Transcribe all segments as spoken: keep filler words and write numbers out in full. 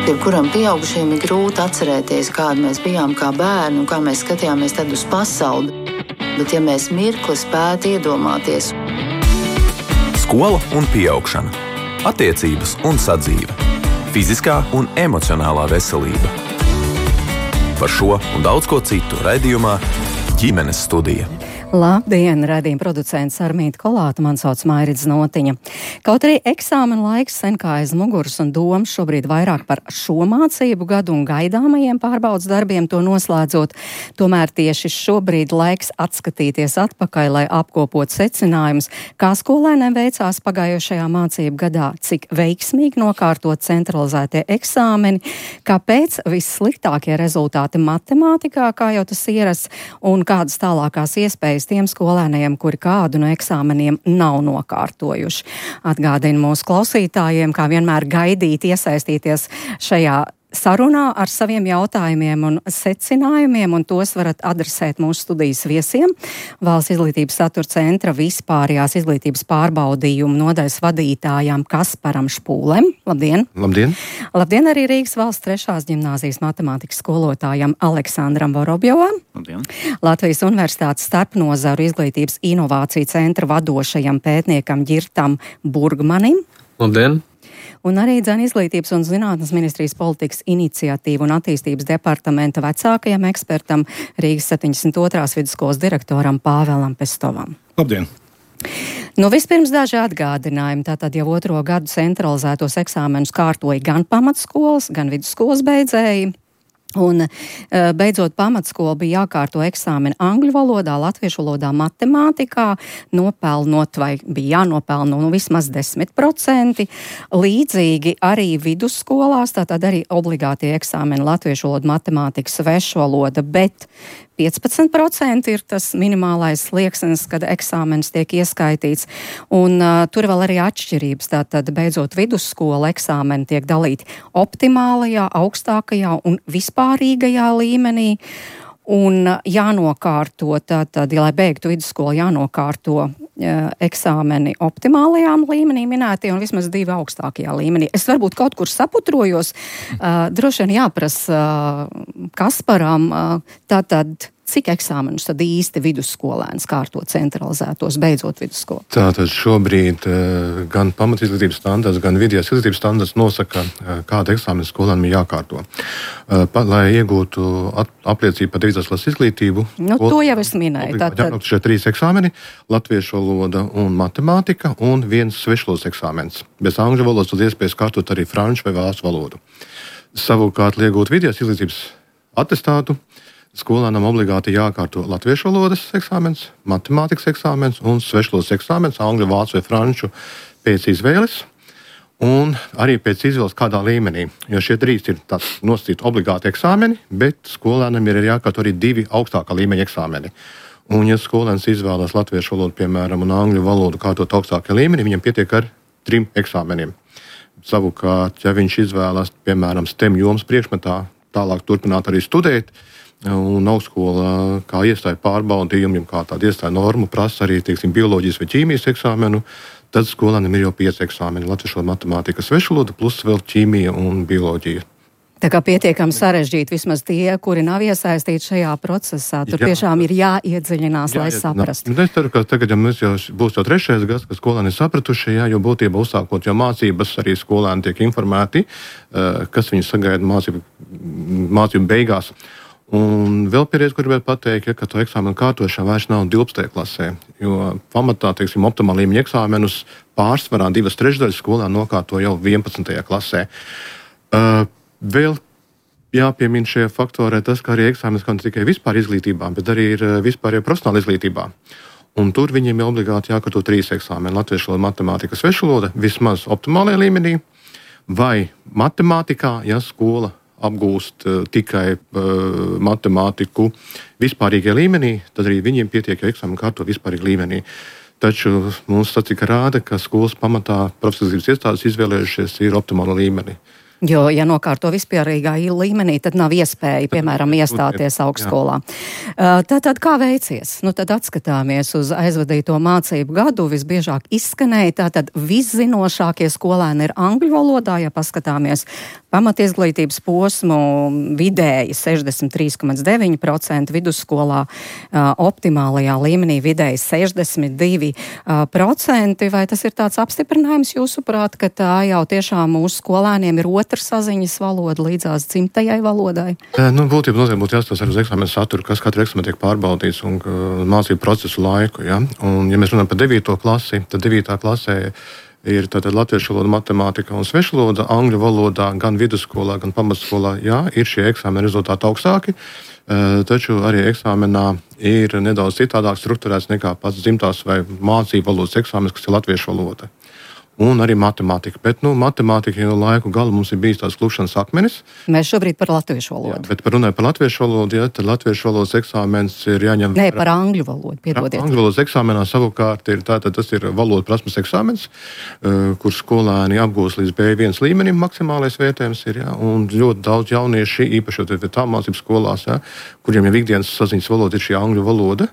Jebkuram pieaugušajam ir grūti atcerēties, kādi mēs bijām kā bērni un kā mēs skatījāmies tad uz pasauli. Bet ja mēs mirkli spētu iedomāties. Skola un pieaugšana. Attiecības un sadzīve. Fiziskā un emocionālā veselība. Par šo un daudz ko citu raidījumā Ģimenes studija. Labdien, raidījuma producents Armīta Kolāta, man sauc Mairidz Notiņa. Kaut arī eksāmena laiks sen kā aiz muguras un domas šobrīd vairāk par šo mācību gadu un gaidāmajiem pārbaudas darbiem to noslēdzot, tomēr tieši šobrīd laiks atskatīties atpakaļ, lai apkopot secinājumus, kā skolēniem veicās pagājušajā mācību gadā, cik veiksmīgi nokārtot centralizētie eksāmeni, kāpēc vissliktākie rezultāti matemātikā, kā jau tas ierasts, un kādas tālākās iespējas tiem skolēniem, kuri kādu no eksāmeniem nav nokārtojuši. Atgādinu mūsu klausītājiem, kā vienmēr gaidīt, iesaistīties šajā sarunā ar saviem jautājumiem un secinājumiem, un tos varat adresēt mūsu studijas viesiem. Valsts izglītības satura centra vispārējās izglītības pārbaudījumu nodaļas vadītājām Kasparam Špūlem. Labdien! Labdien! Labdien arī Rīgas valsts trešās ģimnāzijas matemātikas skolotājam Aleksandram Vorobjovam. Labdien! Latvijas Universitātes starpnozaru izglītības inovāciju centra vadošajam pētniekam Ģirtam Burgmanim. Labdien! Un arī Dzen izglītības un zinātnes ministrijas politikas iniciatīvu un attīstības departamenta vecākajam ekspertam Rīgas septiņdesmit otrās vidusskolas direktoram Pāvēlam Pestovam. Labdien! Nu, vispirms daži atgādinājumi. Tātad jau otro gadu centralizētos eksāmenus kārtoja gan pamatskolas, gan vidusskolas beidzēji. Un beidzot pamatskola bija jākārto eksāmeni angļu valodā, latviešu valodā, matemātikā, nopelnot vai bija jānopelno nu, vismaz desmit procenti. Līdzīgi arī vidusskolās, tātad arī obligātie eksāmeni latviešu valoda, matemātika, svešu valoda, bet piecpadsmit procenti ir tas minimālais slieksnis, kad eksāmenis tiek ieskaitīts. Un uh, tur vēl arī atšķirības. Tātad beidzot vidusskola eksāmeni tiek dalīti optimālajā, augstākajā un vispārīgajā līmenī. Un uh, jānokārto, tātad, ja lai beigtu vidusskolu, jānokārto uh, eksāmeni optimālajām līmenī minētie un vismaz divi augstākajā līmenī. Es varbūt kaut kur saputrojos, uh, droši vien jāprasa uh, Kasparam, uh, tātad, cik eksāmenus tad īsti vidusskolēns kārto centralizētos, beidzot vidusskolu? Tātad šobrīd uh, gan pamatizglītības standarts, gan vidējās izglītības standarts nosaka, uh, kāda eksāmena skolēnam ir jākārto. Uh, pa, lai iegūtu at, apliecību par devītās klases izglītību. Nu, to jau es minēju. Tātad jābūt šie trīs eksāmeni - latviešu valoda un matemātika un viens svešvalodas eksāmens. Bez angļu valodas tad iespējas kārtot arī franču vai vācu valodu. Savukārt, lai iegūtu vidējās izglītības atestātu, skolēnam obligāti jākārto latviešu valodas eksāmens, matemātikas eksāmens un svešvalodas eksāmens, angļu, vācu vai franču pēc izvēles. Un arī pēc izvēles kādā līmenī, jo šie trīs ir tāds nosacīti obligāti eksāmeni, bet skolēnam ir jākārto arī divi augstākā līmeņa eksāmeni. Un ja skolēns izvēlas latviešu valodu, piemēram, un angļu valodu kārtot augstākā līmenī, viņam pietiek ar trim eksāmeniem. Savukārt, ja viņš izvēlas, piemēram, STEM jomas priekšmetā, tālāk turpināt arī studēt, un augstskola kā iestāja pārbaudījumu, kā tāda iestāja normu prasa arī, teiksim, bioloģijas vai ķīmijas eksāmenu, tad skolēnam ir jau pieci eksāmeni - latviešu valoda, matemātika, svešu valoda, plus vēl ķīmija un bioloģija. Tā kā pietiekami sarežģīti vismaz tie, kuri nav iesaistīti šajā procesā. Tur jā, tiešām ir jāiedziļinās, jā, lai saprastu. Es ceru, ka tagad, ja mums jau būs jau trešais gads, ka skolēni ir sapratuši, jā, jo būtībā uzsākot jau mācības, arī skolēni tiek informēti, kas viņus sagaida mācību, mācību beigās. Un vēl pēdējais, ko gribētu pateikt, ja, ka to eksāmenu kārtošana vairs nav divpadsmitajā klasē, jo pamatā, teiksim, optimāla līmeņa eksāmenus pārsvarā divas trešdaļas skolēni nokārto jau vienpadsmitajā klasē. Uh, vēl jāpiemina šajā faktorē tas, ka arī eksāmenis kā ne tikai vispār izglītībā, bet arī ir vispārējā profesionāla izglītībā. Un tur viņiem ir obligāti jākārto trīs eksāmeni - latviešu valoda, matemātika, svešu valoda, vismaz optimālajā līmenī, vai matemātikā, ja skola apgūst uh, tikai uh, matemātiku vispārīgajā līmenī, tad arī viņiem pietiek, ja eksāmenu kārto vispārīgajā līmenī. Taču mums statistika rāda, ka skolas pamatā profesionālās iestādes izvēlējušies ir optimāla līmeni. Jo, ja nokārto vispārīgā līmenī, tad nav iespēja, piemēram, iestāties augstskolā. Tātad kā veicies? Nu, tad atskatāmies uz aizvadīto mācību gadu. Visbiežāk izskanēja, tātad viszinošākie skolēni ir angļu valodā, ja paskatāmies pamatizglītības posmu vidēji sešdesmit trīs komats deviņi procenti, vidusskolā optimālajā līmenī vidēji sešdesmit divi procenti. Vai tas ir tāds apstiprinājums jūsuprāt, ka tā jau tiešām mūsu skolēniem ir otra saziņas valoda līdzās dzimtajai valodai? Nu, būtībā nozīmē būtu jāstāsta arī uz eksāmenu saturu, kas katru eksāmenu tiek pārbaudīts un uh, mācību procesu laiku. Ja? Un, ja mēs runājam par devīto klasi, tad devītā klasē ir tātad latviešu valoda, matemātika un svešu valoda, angļu valodā, gan vidusskolā, gan pamatskolā. Jā, ir šie eksāmeni rezultāti augstāki, uh, taču arī eksāmenā ir nedaudz citādāk strukturēts nekā pats dzimtās vai mācību valodas eksāmenis, kas ir latviešu valoda. Un arī matemātika. Bet, nu, matemātika jau laiku galu mums ir bijis tās klupšanas akmenis. Mēs šobrīd par latviešu valodu. Jā, bet par runāju par latviešu valodu, ja, tad latviešu valodas eksāmens ir jāņem... Nē, par angļu valodu, piedodiet. Angļu valodas eksāmenā savukārt ir tātad tas ir valodu prasmes eksāmens, uh, kur skolēni apgūs līdz B viens līmenim maksimālais vērtējums ir, ja, un ļoti daudz jaunieši, īpaši tā mācības skolās, ja, kuriem jau ikdienas saziņas valoda ir šī angļu valoda.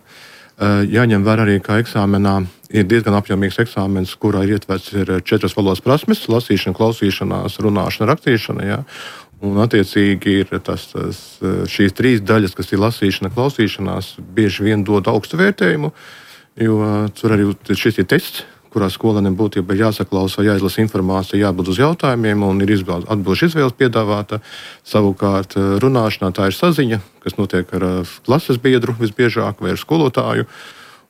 Jāņem vērā arī, ka eksāmenā ir diezgan apjomīgs eksāmens, kurā ir ietverts ir četras valodas prasmes - lasīšana, klausīšanās, runāšana, rakstīšana. Ja? Un, attiecīgi, ir tas, tas, šīs trīs daļas, kas ir lasīšana, klausīšanās, bieži vien dod augstu vērtējumu, jo tur arī šis ir tests, kurā skolēniem būtībā jāsaklausa, jāizlasa informācija, jābūt uz jautājumiem un ir atbilžu izvēles piedāvāta. Savukārt runāšanā tā ir saziņa, kas notiek ar klases biedru visbiežāk vai ar skolotāju.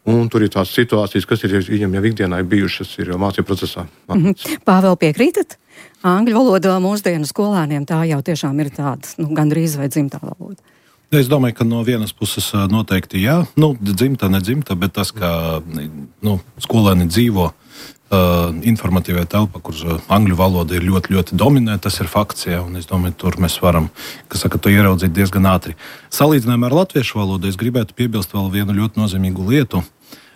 Un tur ir tās situācijas, kas ir viņam jau ikdienā bijušas, ir jau mācību procesā. Mm-hmm. Pāvēl, piekrītat? Angļu valodā mūsdienu skolēniem tā jau tiešām ir tāda, nu, gandrīz vai dzimtā valoda. Es domāju, ka no vienas puses noteikti jā, nu, dzimta, nedzimta, bet tas, ka nu, skolēni dzīvo uh, informatīvajā telpā, kur angļu valoda ir ļoti, ļoti dominē, tas ir fakts, jā, un es domāju, tur mēs varam, kas saka, to ieraudzīt diezgan ātri. Salīdzinājumā ar latviešu valodu es gribētu piebilst vēl vienu ļoti nozīmīgu lietu.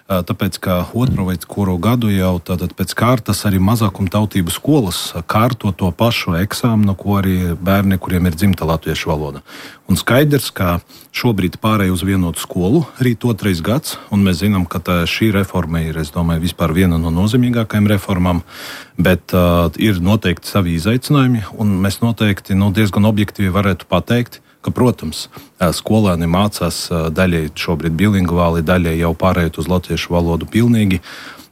Tāpēc, ka otro vai kuru gadu jau tātad pēc kārtas arī mazākumtautību skolas kārto to pašu eksāmenu, ko arī bērni, kuriem ir dzimta latviešu valoda. Un skaidrs, ka šobrīd pārēj uz vienotu skolu, rīt otrais gads, un mēs zinām, ka tā, šī reforma ir, es domāju, vispār viena no nozīmīgākajām reformām, bet uh, ir noteikti savi izaicinājumi, un mēs noteikti nu, diezgan objektīvi varētu pateikt, ka, protams, skolēni mācās daļai šobrīd bilingvāli, daļai jau pārējot uz latviešu valodu pilnīgi,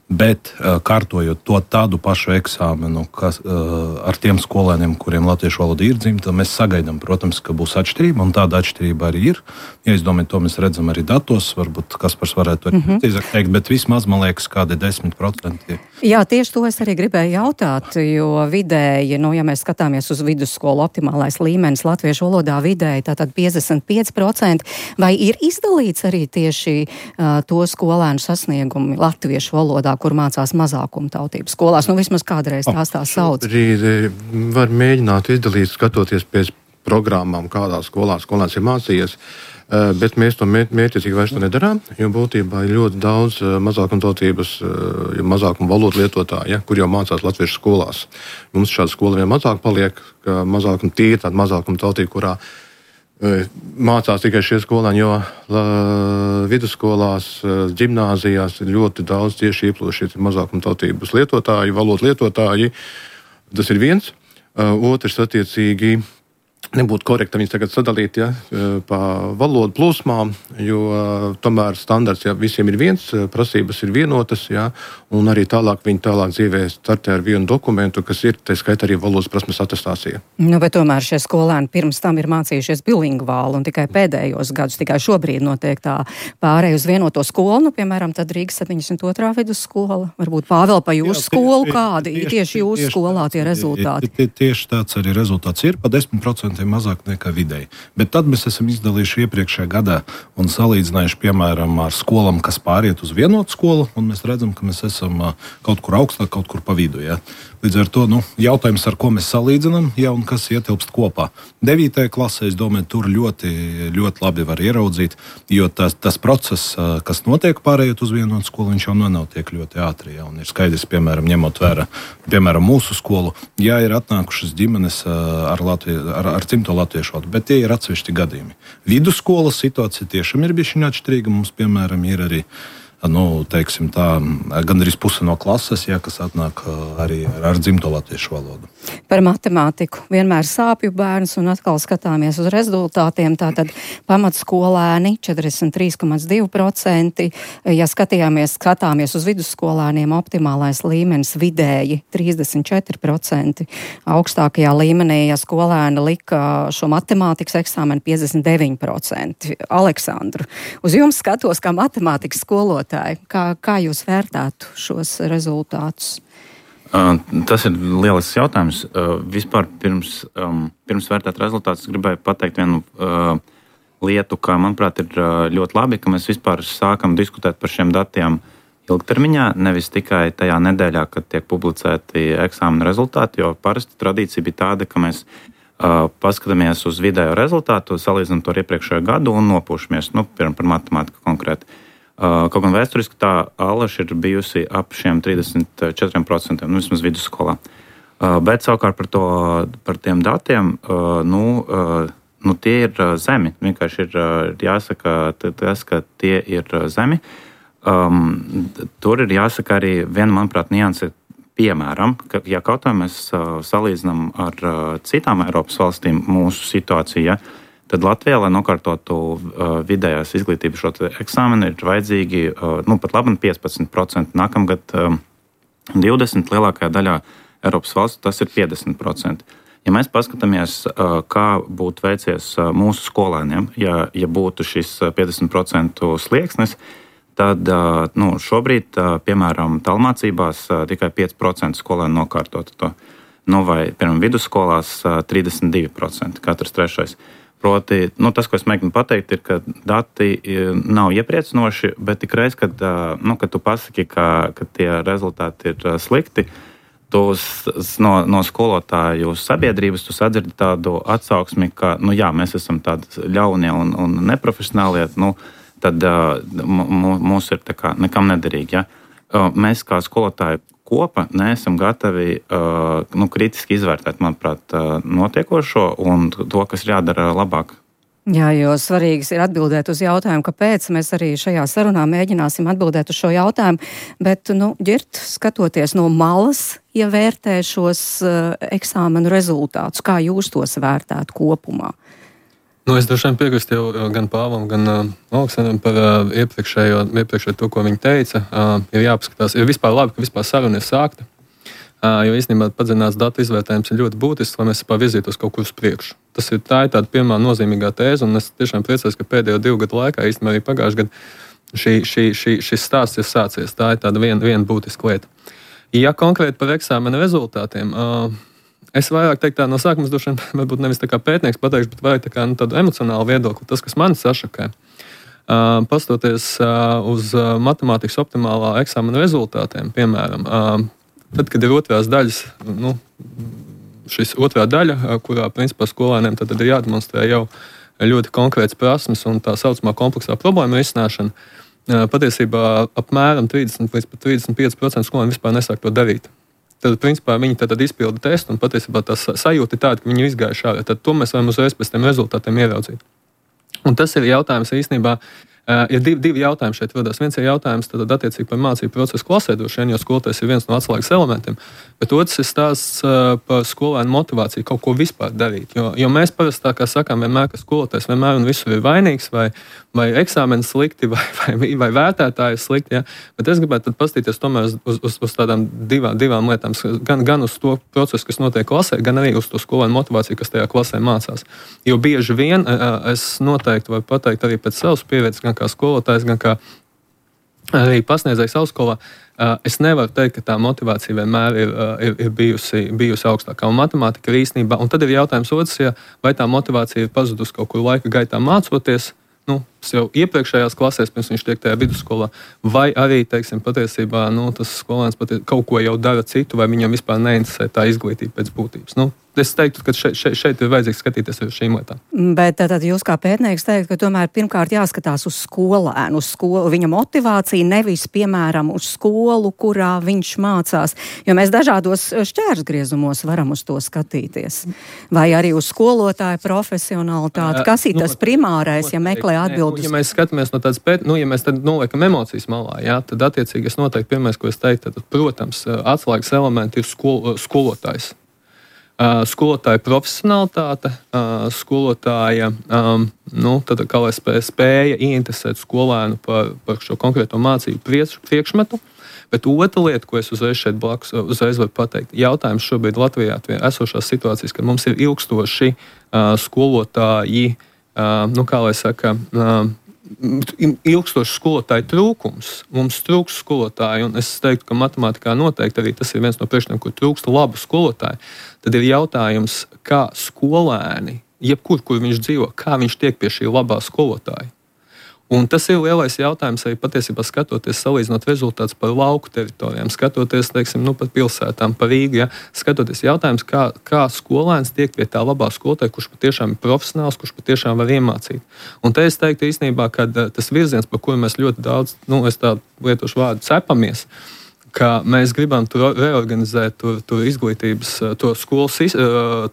bet kārtojot to tādu pašu eksāmenu, kas ar tiem skolēniem, kuriem latviešu valoda ir dzimta, mēs sagaidām, protams, ka būs atšķirība, un tāda atšķirība arī ir. Ja es domāju, to mēs redzam arī datos, varbūt Kaspars varētu arī mm-hmm. precīzāk teikt, bet vismaz, man liekas, kādi desmit procenti. Jā, tieši to es arī gribēju jautāt, jo vidēji, nu, ja mēs skatāmies uz vidusskolu optimālais līmenis latviešu valodā vidēji, tātad piecdesmit pieci procenti, vai ir izdalīts arī tieši uh, to skolēnu sasniegumi latviešu valodā, kur mācās mazākumtautību skolās? Nu, vismaz kādreiz tās tā sauc. Arī var mēģināt izdalīt, skatoties pēc programmām, kādā skolā skolēns ir mācījies. Bet mēs to mērķiecīgi vairs to nedarām, jo būtībā ir ļoti daudz mazākumtautības, mazākuma valodu lietotāju, ja, kur jau mācās latviešu skolās. Mums šāda skola vien mazāk paliek, ka mazākuma tīri tāda mazākumtautība, kurā mācās tikai šie skolēni, jo la, vidusskolās, ģimnāzijās ir ļoti daudz tieši ieplūši mazākumtautības lietotāji, valodu lietotāji. Tas ir viens. Otrs attiecīgi nebūtu korekti viņus tagad sadalīt, ja, pa valodu plūsmām, jo tomēr standarts, ja, visiem ir viens, prasības ir vienotas, ja, un arī tālāk viņi tālāk dzīvē startē ar vienu dokumentu, kas ir, tā skaitā arī valodas prasmes atestācija. Nu, bet tomēr šie skolēni pirms tam ir mācījušies bilingvāli, un tikai pēdējos gadus, tikai šobrīd notiek tā pārēj uz vienoto skolu, nu, piemēram, tad Rīgas septiņdesmit otrā vidusskola, varbūt Pāvēl pa jūsu Jā, skolu, kādi tieši, tieši jūsu tieši, skolā tie rezultāti? Tie, tieši tāds arī rezultāts ir, pa desmit procenti mazāk nekā vidēji. Bet tad mēs esam izdalījuši iepriekšējā gadā un salīdzinājuši, piemēram, ar skolām, kas pāriet uz vienotu skolu, un mēs redzam, ka mēs esam kaut kur augstāk, kaut kur pa vidu. Ja? Līdz ar to nu, jautājums, ar ko mēs salīdzinām, ja un kas ietilpst kopā. Devītajā klasē, es domāju, tur ļoti, ļoti labi var ieraudzīt, jo tas, tas process, kas notiek pārējot uz vienotu skolu, viņš jau nenotiek ļoti ātri. Ja, un ir skaidrs, piemēram, ņemot vērā, piemēram, mūsu skolu, ja ir atnākušas ģimenes ar, Latvie, ar, ar cimto latviešu valodu, bet tie ir atsevišķi gadījumi. Vidusskolas situācija tiešām ir bišķiņ atšķirīga. Mums, piemēram, ir arī, nu, teiksim tā, gandrīz puse no klases, ja, kas atnāk arī ar, ar dzimto latviešu valodu. Par matemātiku. Vienmēr sāpju bērns un atkal skatāmies uz rezultātiem. Tātad pamatskolēni četrdesmit trīs komats divi procenti. Ja skatījāmies, skatāmies uz vidusskolēniem, optimālais līmenis vidēji trīsdesmit četri procenti. Augstākajā līmenī, ja skolēni lika šo matemātikas eksāmenu piecdesmit deviņi procenti. Aleksandru, uz jums skatos kā matemātikas skolotāji. Kā, kā jūs vērtētu šos rezultātus? Uh, tas ir lielisks jautājums. Uh, vispār pirms, um, pirms vērtēt rezultātus gribēju pateikt vienu uh, lietu, ka, manuprāt, ir uh, ļoti labi, ka mēs vispār sākam diskutēt par šiem datiem ilgtermiņā, nevis tikai tajā nedēļā, kad tiek publicēti eksāmena rezultāti, jo parasti tradīcija bija tāda, ka mēs uh, paskatāmies uz vidējo rezultātu, salīdzinām to ar iepriekšējo gadu un nopūšamies, nu, piemēram, par matemātiku konkrēti. Uh, kaut gan vēsturiski tā alaša ir bijusi ap šiem trīsdesmit četriem procentiem, nu, vismaz vidusskolā. Uh, bet savukārt par, to, par tiem datiem, uh, nu, uh, nu, tie ir zemi. Vienkārši ir uh, jāsaka tas, ka tie ir zemi. Um, tur ir jāsaka arī viena, manuprāt, nianse. Piemēram, ka, ja kaut kā mēs uh, salīdzinām ar uh, citām Eiropas valstīm mūsu situāciju, ja, tad Latvijā, lai nokārtotu uh, vidējās izglītības šo eksāmenu, ir vajadzīgi uh, nu, pat labi piecpadsmit procenti. Nākamgad um, divdesmit procenti, lielākajā daļā Eiropas valstu tas ir piecdesmit procenti. Ja mēs paskatāmies, uh, kā būtu veicies uh, mūsu skolēniem, ja, ja būtu šis piecdesmit procentu slieksnis, tad uh, nu, šobrīd, uh, piemēram, tālmācībās uh, tikai pieci procenti skolēni nokārtotu to. Nu, vai, piemēram, vidusskolās uh, trīsdesmit divi procenti, katrs trešais. Proti, nu, tas, ko es mēģinu pateikt, ir, ka dati nav iepriecinoši, bet tikreiz, kad, nu, kad tu pasaki, ka, ka tie rezultāti ir slikti, tu no, no skolotāju sabiedrības tu sadzirdi tādu atsauksmi, ka nu, jā, mēs esam tādi ļaunie un, un neprofesionālie, nu, tad mūs ir tā kā nekam nederīgi. Ja? Mēs kā skolotāji kopa neesam gatavi uh, nu, kritiski izvērtēt, manuprāt, uh, notiekošo un to, kas ir jādara labāk. Jā, jo svarīgs ir atbildēt uz jautājumu, kāpēc mēs arī šajā sarunā mēģināsim atbildēt uz šo jautājumu, bet, nu, Ģirt, skatoties no malas, ja vērtē šos uh, eksāmenu rezultātus, kā jūs tos vērtētu kopumā? Nu, es droši vien piekrīstu jau gan Pāvam, gan uh, Aleksandram par uh, iepriekšējo, iepriekšējo to, ko viņi teica. Uh, ir jāpaskatās, ir vispār labi, ka vispār saruna ir sākta, uh, jo īstenībā padziļināts datu izvērtējums ir ļoti būtisks, lai mēs vispār virzītos kaut kur uz priekšu. Tas ir tā ir tāda pirmā nozīmīgā tēze, un es tiešām priecājos, ka pēdējo divu gadu laikā, īstenībā arī pagājušajā gadā, šī, šī, šī, šis stāsts ir sācies. Tā ir tāda viena, viena būtiska lieta. Ja konkrēti par eksāmena rezultātiem, uh, es vairāk teiktu, tā no sākuma droši vien, varbūt nevis tā kā pētnieks pateikšu, bet vairāk tā kā nu, tādu emocionālu viedokli. Tas, kas man sašakē, uh, pastoties uh, uz uh, matemātikas optimālā eksāmena rezultātiem, piemēram, uh, tad, kad ir otrās daļas, nu, šis otrā daļa, uh, kurā, principā, skolēniem tad, tad ir jādemonstrē jau ļoti konkrēts prasmes un tā saucamā kompleksā problēma risināšana, uh, patiesībā apmēram trīsdesmit līdz pat trīsdesmit pieci procenti skolēni vispār nesāk to darīt. Tad, principā, viņi tad izpilda testu, un patiesībā tā sajūta ir tāda, ka viņi izgājuši ārā. Tad to mēs varam uzreiz pēc tiem rezultātiem ieraudzīt. Un tas ir jautājums īstenībā, uh, ir divi, divi jautājumi šeit rodas. Viens ir jautājums tad attiecīgi par mācību procesu klasē, droši vien, jo skolotājs ir viens no atslēgas elementiem, bet otrs ir stāsts uh, par skolēnu motivāciju kaut ko vispār darīt. Jo, jo mēs parasti tā kā sakām vienmēr, ka skolotājs vienmēr un visur ir vainīgs, vai, vai eksāmenis slikti, vai, vai, vai vērtētāji slikti. Ja? Bet es gribētu pastīties tomēr uz, uz, uz tādām divām, divām lietām, gan, gan uz to procesu, kas notiek klasē, gan arī uz to skolēnu motivāciju, kas tajā klasē mācās. Jo bieži vien uh, es noteikti varu pateikt arī pēc savas pieredzes, gan kā skolotājs, gan kā arī pasniedzējs augstskolā, es nevaru teikt, ka tā motivācija vienmēr ir, ir, ir bijusi, bijusi augstākā. Un matemātika ir īstenībā, un tad ir jautājums otrs, ja vai tā motivācija ir pazudusi kaut kur laika gaitā mācoties, nu, būtisks jau iepriekšējās klasēs, pirms viņš tiek tajā vidusskolā, vai arī, teiksim, patiesībā nu, tas skolēns patie, kaut ko jau dara citu, vai viņam vispār neinteresē tā izglītība pēc būtības. Nu, es teiktu, ka šeit, šeit, šeit ir vajadzīgs skatīties uz šīm lietām. Bet tad jūs kā pētnieks teikt, ka tomēr pirmkārt jāskatās uz skolēnu, uz skolu, viņa motivāciju, nevis, piemēram, uz skolu, kurā viņš mācās. Jo mēs dažādos šķērsgriezumos varam uz to skatīties. Vai arī uz skolotāju profesionalitāti. Kas ir tas primārais, ja meklē atbildus? Nu, ja mēs skatāmies no tādas pēt, nu, ja mēs tad noliekam emocijas malā, jā, tad attiecīgi es noteikti pirmais, ko es teiktu, tad, protams, atslēgas elementi ir skol, skolotājs. Uh, skolotāja profesionalitāte, uh, skolotāja um, nu, tad, kā lai spēja, spēja ieinteresēt skolēnu par, par šo konkrēto mācību priekš, priekšmetu. Bet otra lieta, ko es uzreiz šeit blakus uzreiz varu pateikt, jautājums šobrīd Latvijā esošās situācijas, ka mums ir ilgstoši uh, skolotāji, uh, nu, kā lai saka, uh, ilgstošs skolotāju trūkums. Mums trūkst skolotāju, un es teiktu, ka matemātikā noteikti arī tas ir viens no priekšniekiem, kur trūkst labu skolotāju. Tad ir jautājums, kā skolēni, jebkur, kur viņš dzīvo, kā viņš tiek pie šī labā skolotāja. Un tas ir lielais jautājums arī patiesībā skatoties, salīdzinot rezultātus par lauku teritorijām, skatoties, teiksim, nu, par pilsētām, par Rīgu, ja, skatoties jautājums, kā, kā skolēns tiek pie tā labā skolotāja, kurš patiešām ir profesionāls, kurš patiešām var iemācīt. Un te es teiktu īstenībā, ka tas virziens, par kuru mēs ļoti daudz, nu, es tā lietošu vārdu, cepamies, ka mēs gribam tur reorganizēt tur, tur izglītības, to skolas,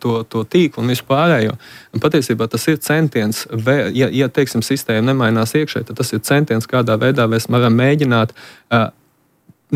to, to tīklu un vispārējo. Un patiesībā tas ir centiens, ja, ja teiksim, sistēma nemainās iekšē, tad tas ir centiens, kādā veidā mēs varam mēģināt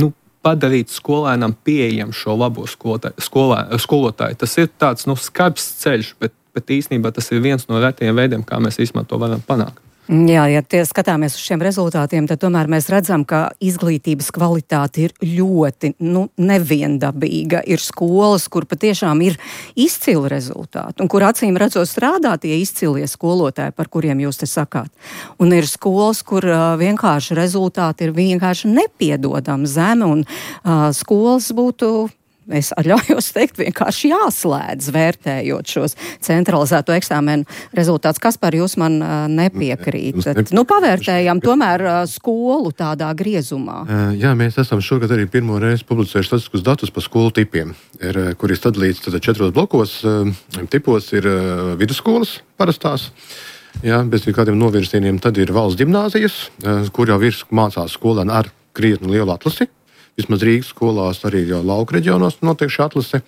nu, padarīt skolēnam pieejam šo labo skolotāju. Skolē, skolotāju. Tas ir tāds nu, skarbs ceļš, bet, bet īstenībā tas ir viens no retajiem veidiem, kā mēs īstenībā to varam panākt. Jā, ja tie skatāmies uz šiem rezultātiem, tad tomēr mēs redzam, ka izglītības kvalitāte ir ļoti nu, neviendabīga. Ir skolas, kur patiešām ir izcili rezultāti, un kur acīm redzot strādā tie izcilie skolotāji, par kuriem jūs te sakāt. Un ir skolas, kur uh, vienkārši rezultāti ir vienkārši nepiedodami zemi, un uh, skolas būtu... Es atļaujos teikt, vienkārši jāslēdz, vērtējot šos centralizēto eksāmenu rezultātus. Kas par jūs man uh, nepiekrītat? Nu, pavērtējam tomēr uh, skolu tādā griezumā. Jā, mēs esam šogad arī pirmo reizi publicējuši statistiskus datus par skolu tipiem, ir, kur ir sadalīts tad četros blokos. Tipos ir vidusskolas parastās, jā, bez kādiem novirzieniem. Tad ir valsts ģimnāzijas, kur jau ir mācās skolēni ar krietni lielu atlasi. Vismaz Rīgas skolās, arī jau lauku reģionos notiek šī atlase.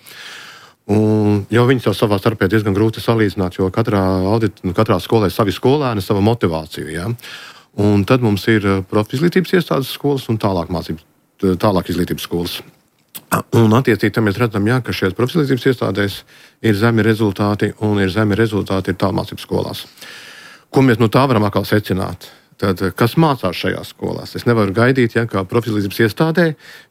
Un jau viņas jau savā starpē diezgan grūti salīdzināt, jo katrā, audit, katrā skolē ir savi skolēni, sava motivācija. Ja? Un tad mums ir profizglītības iestādes skolas un tālāk mācības, tālāk izglītības skolas. Un attiecīgi tam mēs redzam, ja, ka šajās profizglītības iestādēs ir zemi rezultāti un ir zemi rezultāti ir tālmācības skolās. Ko mēs no tā varam atkal secināt? Tad, kas mācās šajās skolās? Es nevaru gaidīt, ja kā profizglītības iestādē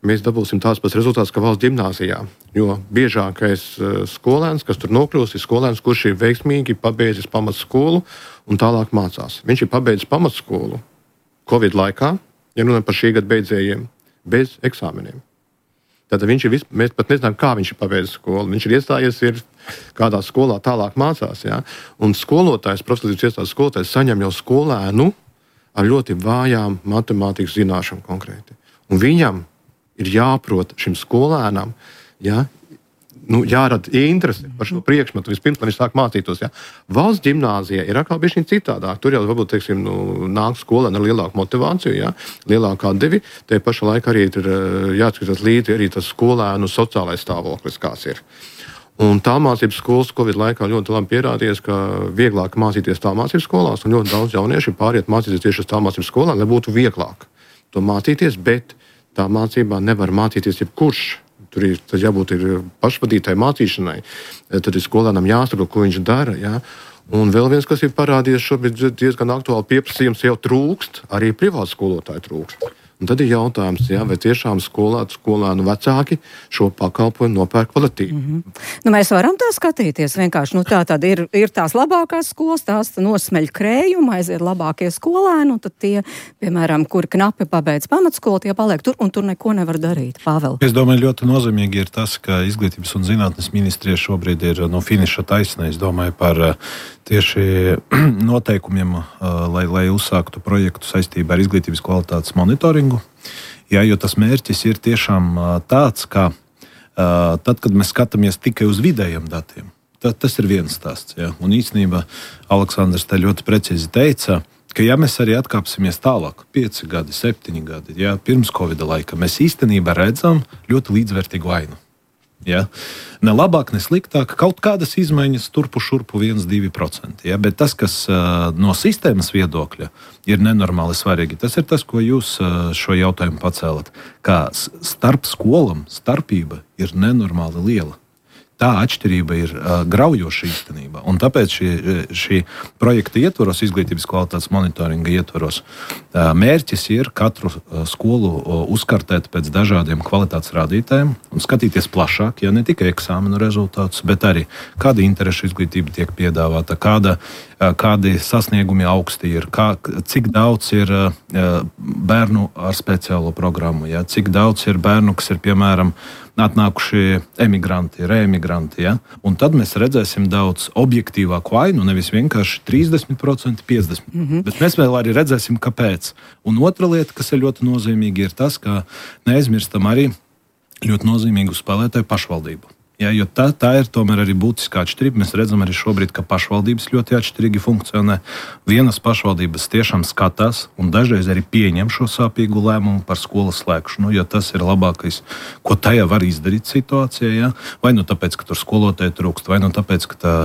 mēs dabūsim tās pats rezultāts, kā valsts ģimnāzijā. Jo biežākais skolēns, kas tur nokļūst, ir skolēns, kurš ir veiksmīgi pabeidzis pamatskolu un tālāk mācās. Viņš ir pabeidzis pamatskolu Covid laikā, ja runājam par šī gada beidzējiem, bez eksāmeniem. Tad viņš ir, vis... mēs pat nezinām, kā viņš ir pabeidzis skolu. Viņš ir iestājies, ir kādā skolā tālāk mācās. Ja? Un skolotājs, profizglītības iestādes skolotājs saņem jau skolēnu ar ļoti vājām matemātikas zināšanām konkrēti. Un viņam ir jāprot šim skolēnam, ja, nu, jārada interese par šo priekšmetu, vispirms, lai viņš sāk mācītos. Ja. Valsts ģimnāzija ir atkal bišķiņ citādāk. Tur jau varbūt, teiksim, nu, nāk skolēni ar lielāku motivāciju, ja, lielāku atdevi. Te pašā laikā arī ir jāatskatās līdzi arī tas skolēnu sociālais stāvoklis, kāds ir. Un tālmācības skolas Covid laikā ļoti labi pierādījies, ka vieglāk mācīties tālmācības skolās, un ļoti daudz jaunieši pāriet mācīties tieši uz tālmācības skolām, lai būtu vieglāk to mācīties, bet tā mācībā nevar mācīties jebkurš. Tur ir jābūt ir pašvadītai mācīšanai, tad ir skolēnam jāsaprot, ko viņš dara. Ja? Un vēl viens, kas ir parādījies šobrīd diezgan aktuāli pieprasījums, jau trūkst, arī privātu skolotāju trūkst. Un tad ir jautājums, jā, vai tiešām skolā, skolēnu vecāki šo pakalpojumu nopērk kvalitīvi. Mm-hmm. Nu, mēs varam tā skatīties vienkārši. Nu, tā tad ir, ir tās labākās skolas, tās nosmeļ krējumu, aiziet labākie skolēni, un tad tie, piemēram, kuri knapi pabeidz pamatskolu, tie paliek tur, un tur neko nevar darīt. Pāvēl. Es domāju, ļoti nozīmīgi ir tas, ka Izglītības un zinātnes ministrija šobrīd ir no finiša taisnē. Es domāju par tieši noteikumiem, lai, lai uzsāktu projektu saistībā ar izglītības kvalitātes monitoringu. Jā, jo tas mērķis ir tiešām tāds, ka tad, kad mēs skatāmies tikai uz vidējiem datiem, tad tas ir viens stāsts. Jā. Un īstenībā Aleksandrs te ļoti precīzi teica, ka ja mēs arī atkāpsimies tālāk, pieci gadi, septiņi gadi, jā, pirms Covid laika, mēs īstenībā redzam ļoti līdzvērtīgu ainu. Ja? Ne labāk, ne sliktāk, kaut kādas izmaiņas turpu šurpu viens līdz divi procenti. Ja? Bet tas, kas uh, no sistēmas viedokļa ir nenormāli svarīgi, tas ir tas, ko jūs uh, šo jautājumu pacēlat. Kā starp skolām starpība ir nenormāli liela. Tā atšķirība ir uh, graujoša īstenībā. Un tāpēc šī, šī projekta ietvaros, izglītības kvalitātes monitoringa ietvaros, uh, mērķis ir katru uh, skolu uh, uzkartēt pēc dažādiem kvalitātes rādītājiem un skatīties plašāk, ja ne tikai eksāmenu rezultātus, bet arī kāda interešu izglītība tiek piedāvāta, kāda, uh, kādi sasniegumi augsti ir, kā, cik daudz ir uh, bērnu ar speciālo programmu, ja, cik daudz ir bērnu, kas ir, piemēram, atnākuši emigranti, reemigranti. Ja? Un tad mēs redzēsim daudz objektīvāku ainu, nevis vienkārši trīsdesmit procenti, piecdesmit procenti. Mm-hmm. Bet mēs vēl arī redzēsim, kāpēc. Un otra lieta, kas ir ļoti nozīmīga, ir tas, ka neaizmirstam arī ļoti nozīmīgu spēlētāju pašvaldību. Ja, jo tā, tā ir tomēr arī būtiskā atšķirība. Mēs redzam arī šobrīd, ka pašvaldības ļoti atšķirīgi funkcionē. Vienas pašvaldības tiešām skatās un dažreiz arī pieņem šo sāpīgu lēmumu par skolas slēgšanu, jo tas ir labākais, ko tajā var izdarīt situācijā. Ja? Vai nu tāpēc, ka tur skolotāji trūkst, vai nu tāpēc, ka, tā,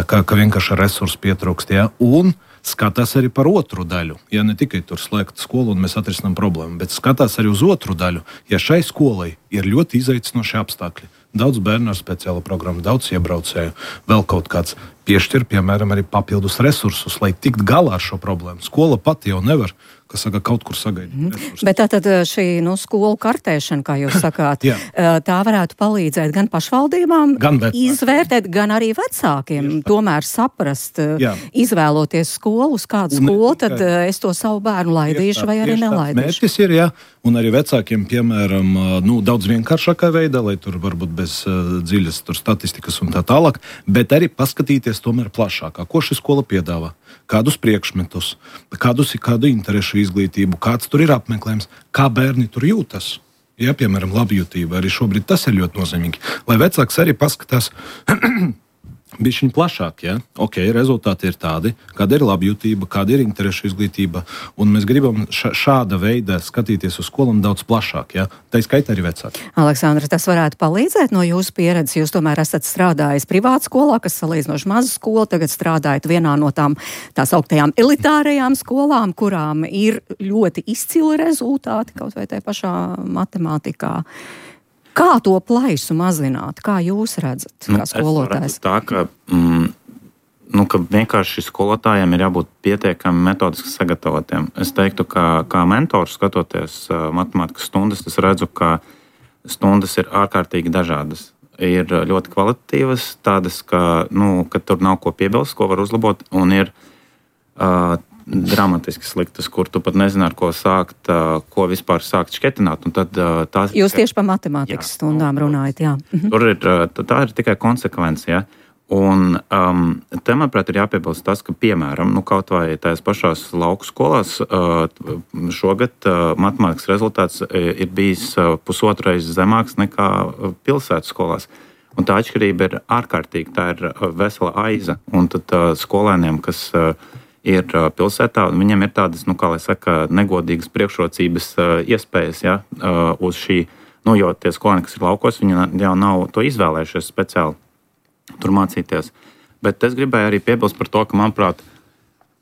ka, ka vienkārši resursi pietrūkst. Ja? Un skatās arī par otru daļu. Ja ne tikai tur slēgt skolu un mēs atrisinām problēmu, bet skatās arī uz otru daļu. Ja šai skolai ir ļoti izaicinoši apstākļi, daudz bērnu ar speciālu programmu, daudz iebraucēju, vēl kaut kāds piešķir, piemēram, arī papildus resursus, lai tikt galā ar šo problēmu. Skola pati jau nevar, kas saka, kaut kur sagaidīt. Mm. Bet tātad šī nu, skolu kartēšana, kā jūs sakāt, tā varētu palīdzēt gan pašvaldībām gan izvērtēt, gan arī vecākiem. Tieši tomēr saprast, jā. Izvēloties skolu, uz kādu skolu, tad es to savu bērnu laidīšu vai arī nelaidīšu. Mērķis ir, jā, un arī vecākiem, piemēram, nu, daudz vienkāršākā veidā, lai tur varbūt bez uh, dziļas tur statistikas un tā tālāk, bet arī paskatīties tomēr plašākā, ko šī skola piedāvā, kādus priekšmetus, kādus ir kādu interešu izglītību, kāds tur ir apmeklējums, kā bērni tur jūtas. Ja, piemēram, labjūtība, arī šobrīd tas ir ļoti nozīmīgi, lai vecāks arī paskatās bišķiņ plašāk, ja? Ok, rezultāti ir tādi, kāda ir labjūtība, kāda ir interešu izglītība, un mēs gribam ša- šāda veida skatīties uz skolām daudz plašāk, ja? Tā skaitā arī vecāki. Aleksandra, tas varētu palīdzēt no jūsu pieredzes? Jūs tomēr esat strādājis privāta skolā, kas salīdzinoši maza skola, tagad strādājat vienā no tām tās augtajām elitārajām skolām, kurām ir ļoti izcili rezultāti, kaut vai tajā pašā matemātikā. Kā to plaisu mazināt? Kā jūs redzat, kā skolotājs? Nu, tā, ka, mm, nu, ka vienkārši skolotājiem ir jābūt pietiekami metodiski sagatavotiem. Es teiktu, ka kā mentors skatoties uh, matemātikas stundas, es redzu, ka stundas ir ārkārtīgi dažādas. Ir ļoti kvalitatīvas, tādas, ka, nu, ka tur nav ko piebilst, ko var uzlabot, un ir uh, dramatiski sliktas, kur tu pat nezini, ar ko sākt, ko vispār sākt šķetināt. Un tad, tās, Jūs tieši par matemātikas jā, stundām runājat, jā. Tur ir, tā ir tikai konsekvence, ja? Un um, te, manuprāt, ir jāpiebilst tas, ka, piemēram, nu, kaut vai tās pašās lauku skolās uh, šogad uh, matemātikas rezultāts ir bijis uh, pusotrais zemāks nekā pilsētas skolās. Un tā atšķirība ir ārkārtīga, tā ir vesela aiza. Un tad uh, skolēniem, kas uh, ir pilsētā, un viņiem ir tādas, nu, kā lai saka, negodīgas priekšrocības uh, iespējas, ja, uh, uz šī, nu, jo tie skolēni, kas ir laukos, viņi jau nav to izvēlējušies speciāli tur mācīties. Bet es gribēju arī piebilst par to, ka, manuprāt,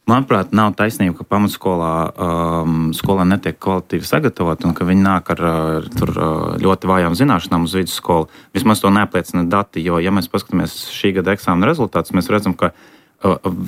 manuprāt nav taisnība, ka pamatskolā um, skolā netiek kvalitīvi sagatavot, un ka viņi nāk ar, ar tur, ļoti vājām zināšanām uz vidusskolu. Vismaz to neapliecina dati, jo, ja mēs paskatāmies šī gada eksāmena rezultātus, mēs redzam, ka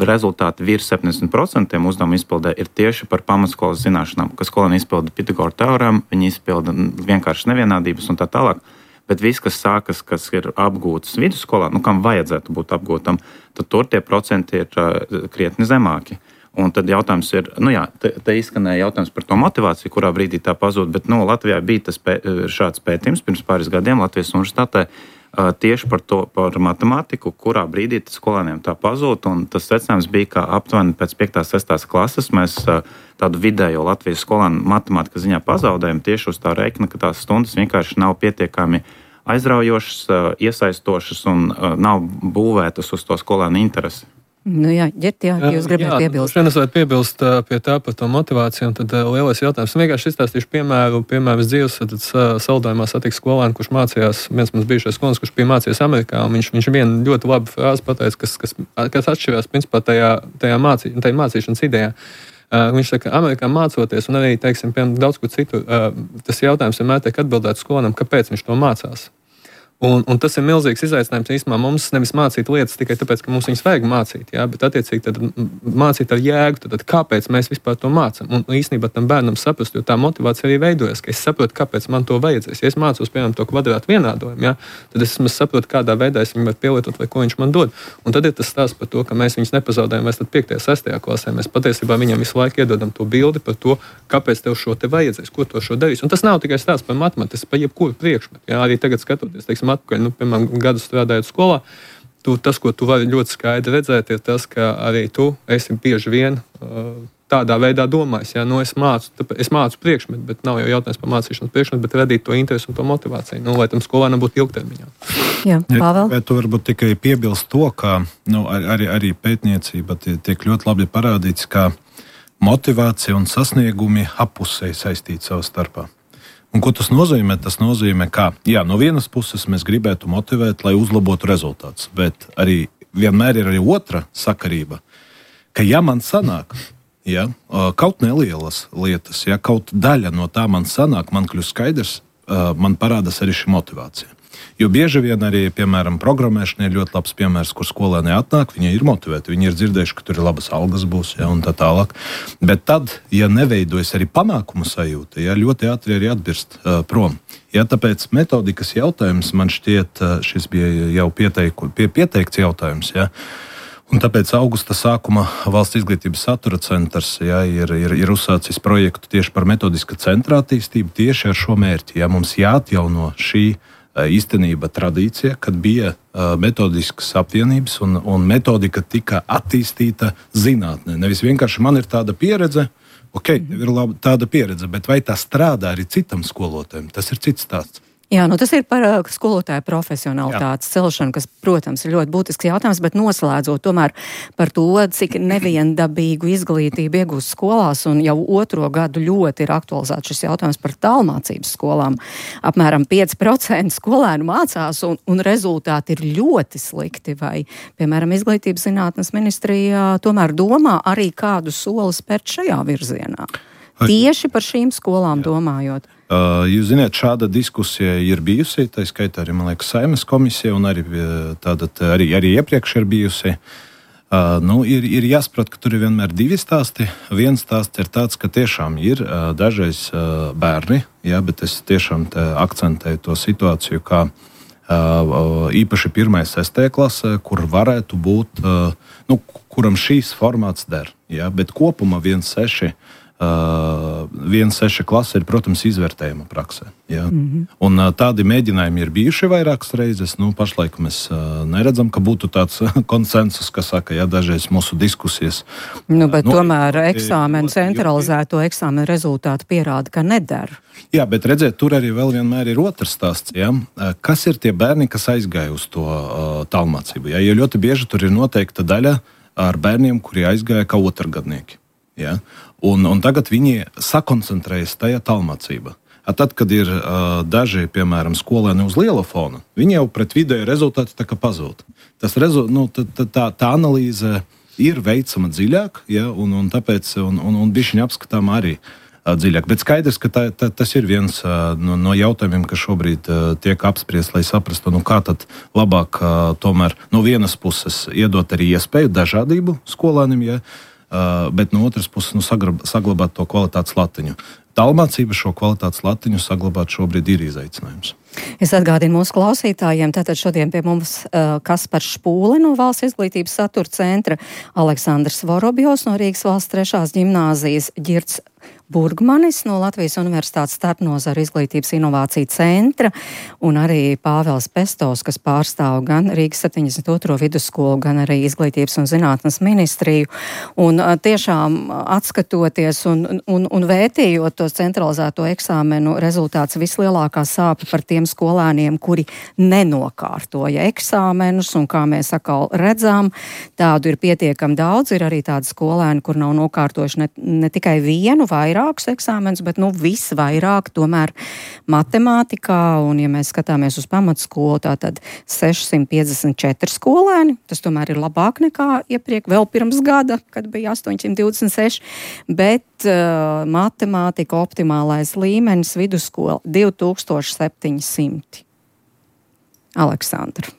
rezultāti virs septiņdesmit procenti uzdevumu izpildē ir tieši par pamatskolas zināšanām, ka skolēni izpilda Pitagora teorēmu, viņi izpilda vienkārši nevienādības un tā tālāk. Bet viss, kas sākas, kas ir apgūtas vidusskolā, nu, kam vajadzētu būt apgūtam, tad tur tie procenti ir uh, krietni zemāki. Un tad jautājums ir, nu jā, te, te izskanēja jautājums par to motivāciju, kurā brīdī tā pazūd, bet nu, Latvijā bija tas pē, šāds pētījums pirms pāris gadiem Latvijas universitātē uh, tieši par to, par matemātiku, kurā brīdī tas skolēniem tā pazūd, un tas secinājums bija, ka aptuveni pēc piektās sestās klases mēs uh, tādu vidējo Latvijas skolēnu matemātikas ziņā pazaudējam tieši uz tā rēķina, ka tās stundas vienkārši nav pietiekami aizraujošas, iesaistošas un nav būvētas uz to skolēnu interesi. Nu jā, Ģert, jā, jūs gribētu piebilst. Jā, es varētu piebilst pie tā par to motivāciju, un tad lielais jautājums. Vienkārši izstāstīšu piemēru, piemēram, dzīves, tad saldojumā satiks skolēnu, kurš mācījās, viens mums bijušais skolēns, kurš bija mācījies Amerikā, un viņš, viņš vienu ļoti labu frāzi pateica, kas, kas, kas atšķirās, principā, tajā, tajā, mācī, tajā mācīšanas idejā. Uh, viņš saka, ka Amerikā mācoties, un arī, teiksim, piemēram, daudz ko citu, uh, tas jautājums vienmēr tiek atbildēts skolēnam, kāpēc viņš to mācās. Un, un tas ir milzīgs izaicinājums īstenībā mums nevis mācīt lietas tikai tāpēc, ka mums viņas vajag mācīt, jā, bet attiecīgi tad mācīt ar jēgu, tad, tad kāpēc mēs vispār to mācām. Un īstenībā tam bērnam saprast, jo tā motivācija arī veidojas, ka es saprotu, kāpēc man to vajadzēs. Ja es mācos, piemēram, to kvadrātu vienādojumu, jā, tad es saprotu, kādā veidā es viņu varu pielietot vai ko viņš man dod. Un tad ir tas stāsts par to, ka mēs viņus nepazaudējam vairs tad piektajā, sestajā klasē. Mēs patiesībā viņam visu laiku iedodam to bildi par to, kāpēc tev šo te vajadzēs, ko to šo darīs. Un tas nav tikai stāsts par matemātiku, tas par jebkuru priekšmetu. Jā, arī tagad skatoties, teiksim, atpakaļ, nu, piemēram, gadu strādājot skolā, tu, tas, ko tu vari ļoti skaidri redzēt, ir tas, ka arī tu esi bieži vien uh, tādā veidā domājis. Ja? Nu, es, mācu, es mācu priekšmetu, bet nav jau jautājums par mācīšanas priekšmetu, bet radīt to interesi un to motivāciju, nu, lai tam skolēnam būtu ilgtermiņā. Jā, Pāvēl? Ja, tu varbūt tikai piebilst to, ka nu, arī, arī pētniecība tiek ļoti labi parādīts, ka motivācija un sasniegumi appusēji saistīti savā starpā. Un ko tas nozīmē? Tas nozīmē, ka jā, no vienas puses mēs gribētu motivēt, lai uzlabotu rezultātus, bet arī vienmēr ir arī otra sakarība, ka ja man sanāk, ja, kaut nelielas lietas, ja kaut daļa no tā man sanāk, man kļūst skaidrs, man parādās arī šī motivācija. Jo bieži vien arī, piemēram, programmēšana ir ļoti labs piemērs, kur skolēni atnāk, viņi ir motivēti, viņi ir dzirdējuši, ka tur ir labas algas būs, ja, un tā tālāk. Bet tad, ja neveidojas arī panākumu sajūta, ja, ļoti ātri arī atbirst uh, prom. Ja, tāpēc metodikas jautājums man šķiet, uh, šis bija jau pieteiku, pie, pieteikts jautājums, ja. Un tāpēc augusta sākuma Valsts izglītības satura centrs ja, ir, ir, ir uzsācis projektu tieši par metodiska centra attīstību tieši ar šo mērķi. Ja, mums jāatjauno šī īstenība tradīcija, kad bija uh, metodiskas apvienības un, un metodika tika attīstīta zinātnē. Nevis vienkārši man ir tāda pieredze, ok, ir laba tāda pieredze, bet vai tā strādā arī citam skolotājiem? Tas ir cits stāsts. Jā, nu tas ir par uh, skolotāju profesionalitātes celšanu, kas, protams, ir ļoti būtisks jautājums, bet noslēdzot tomēr par to, cik neviendabīgu izglītību iegūst skolās, un jau otro gadu ļoti ir aktualizēts šis jautājums par tālmācības skolām. Apmēram pieci procenti skolēnu mācās, un, un rezultāti ir ļoti slikti, vai, piemēram, Izglītības zinātnes ministrija tomēr domā arī kādu soli spērt šajā virzienā. Tieši par šīm skolām Jā. domājot. Uh, jūs zināt, šāda diskusija ir bijusi, tā skaitā arī, man liekas, Saeimas komisija, un arī, tātad, arī, arī iepriekš ir bijusi. Uh, nu, ir, ir jāsaprot, ka tur ir vienmēr divi stāsti. Viens stāsts ir tāds, ka tiešām ir uh, dažreiz uh, bērni, jā, bet es tiešām akcentēju to situāciju, kā uh, īpaši pirmajā, sestajā klasē, kur varētu būt, uh, nu, kuram šīs formāts der, jā, bet kopumā viens seši Uh, viens seši klase ir, protams, izvērtējuma praksē. Ja? Mm-hmm. Un uh, tādi mēģinājumi ir bijuši vairākas reizes. Nu, pašlaik mēs uh, neredzam, ka būtu tāds konsensus, kas saka, ja dažreiz mūsu diskusijas. Nu, bet nu, tomēr eksāmenu, centralizēto eksāmenu rezultātu pierāda, ka nedara. Jā, bet redziet, tur arī vēl vienmēr ir otrs stāsts. Ja? Kas ir tie bērni, kas aizgāja uz to uh, tālmācību? Ja? Jo ļoti bieži tur ir noteikta daļa ar bērniem, kuri aizgāja kā otrgadnieki. Ja? Un, un tagad viņi sakoncentrējas tajā tālmācībā. Tad, kad ir uh, daži, piemēram, skolēni uz liela fona, viņi jau pret vidēju rezultātu tā kā pazūd. Tas rezu, nu, tā, tā, tā analīze ir veicama dziļāk, ja, un, un tāpēc un, un, un bišķiņ apskatām arī. dziļāk. Bet skaidrs, ka tā, tā, tas ir viens no, no jautājumiem, kas šobrīd tiek apspriests, lai saprastu, nu, kā tad labāk tomēr no vienas puses iedot arī iespēju dažādību skolēniem, ja, bet no otras puses nu, saglabāt to kvalitātes latiņu. Tālmācība šo kvalitātes latiņu saglabāt šobrīd ir izaicinājums. Es atgādinu mūsu klausītājiem, tātad šodien pie mums uh, Kaspars Špūle no Valsts izglītības satura centra, Aleksandrs Vorobjovs no Rīgas valsts trešās ģimnāzijas, Ģirds Burgmanis no Latvijas Universitātes starpnozaru izglītības inovāciju centra un arī Pāvels Pestovs, kas pārstāv gan Rīgas septiņdesmit otro vidusskolu, gan arī izglītības un zinātnes ministriju. Un uh, tiešām atskatoties un, un, un vērtījot tos centralizēto eksāmenu rezultāts, vislielākā sāpe par tiem skolēniem, kuri nenokārtoja eksāmenus, un kā mēs atkal redzām, tādu ir pietiekami daudz. Ir arī tādi skolēni, kur nav nokārtojuši ne, ne tikai vienu, vairākus eksāmenus, bet nu visvairāk tomēr matemātikā, un ja mēs skatāmies uz pamatskolu, tātad sešsimt piecdesmit četri skolēni, tas tomēr ir labāk nekā iepriek, vēl pirms gada, kad bija astoņsimt divdesmit seši, bet uh, matemātika optimālais līmenis vidusskola divi tūkstoši septiņsimt. Aleksandra.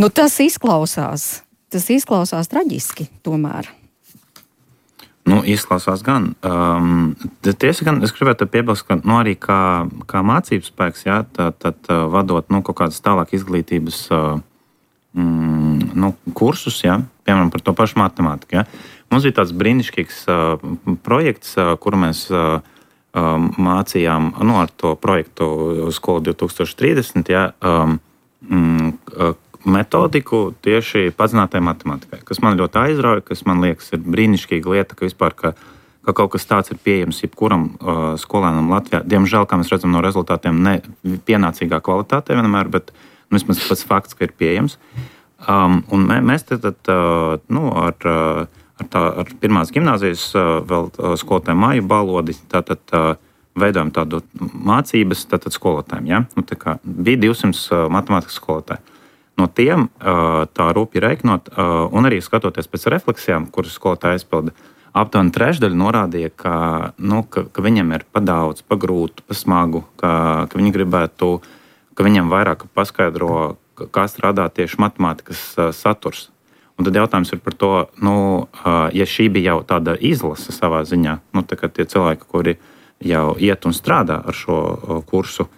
Nu tas izklausās, tas izklausās traģiski tomēr. Nu, izklausās gan. Um, tiesa gan, es gribētu piebilst, ka nu, arī kā, kā mācības spēks, jā, tad, tad vadot nu, kaut kādas tālāk izglītības uh, mm, nu, kursus, jā, piemēram, par to pašu matemātiku. Jā. Mums bija tāds brīnišķīgs uh, projekts, uh, kuru mēs uh, uh, mācījām nu, ar to projektu skolu divi tūkstoši trīsdesmit, jā, um, mm, uh, metodiku tieši padzinātai matemātikai, kas man ļoti aizrauja, kas man liekas ir brīnišķīga lieta, ka vispār, ka, ka kaut kas tāds ir pieejams jebkuram uh, skolēnam Latvijā. Diemžēl, kā mēs redzam no rezultātiem, ne pienācīgā kvalitātē vienmēr, bet nu, vismaz pats fakts, ka ir pieejams. Um, un mē, mēs tad, tad uh, nu, ar, uh, ar, tā, ar pirmās gimnāzijas uh, vēl uh, skolotāju Māju Balodi tātad uh, veidojam tādu mācības tātad skolotājiem. Ja? Nu, tā kā bija divsimt uh, matemātikas skolotāji. No tiem tā rūpīgi reikinot, un arī skatoties pēc refleksijām, kuras skolotāji aizpilda, aptuveni trešdaļa norādīja, ka, nu, ka, ka viņiem ir pa daudz, pa grūtu, pa smagu, ka, ka viņi gribētu, ka viņiem vairāk paskaidro, kā strādā tieši matemātikas saturs. Un tad jautājums ir par to, nu, ja šī bija jau tāda izlase savā ziņā, nu, tā kā tie cilvēki, kuri jau iet un strādā ar šo kursu,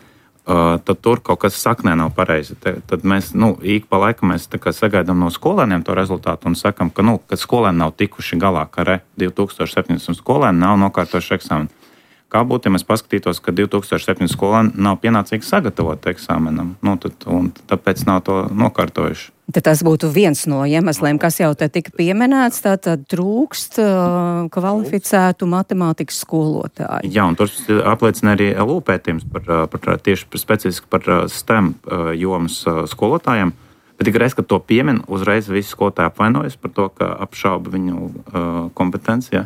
Uh, tad tur kaut kas saknē nav pareizi. Te, tad mēs, nu, ik pa laikam mēs tā kā sagaidām no skolēniem to rezultātu un sakam, ka, nu, ka skolēni nav tikuši galā, ka re, divi tūkstoši septiņdesmit skolēni nav nokārtojuši eksāmenu. Kā būtu, ja mēs paskatītos, ka divi tūkstoši septiņdesmit skolēni nav pienācīgi sagatavoti eksāmenam, nu, tad, un tāpēc nav to nokārtojuši. Tad tas būtu viens no iemesliem, kas jau te tika pieminēts, tātad trūkst uh, kvalificētu matemātikas skolotāju. Jā, un tur apliecina arī L U pētījums par, par tieši par specifiski par STEM jomas skolotājiem. Bet tik reiz, kad to piemin, uzreiz visi skolotāji apvainojas par to, ka apšauba viņu uh, kompetenci.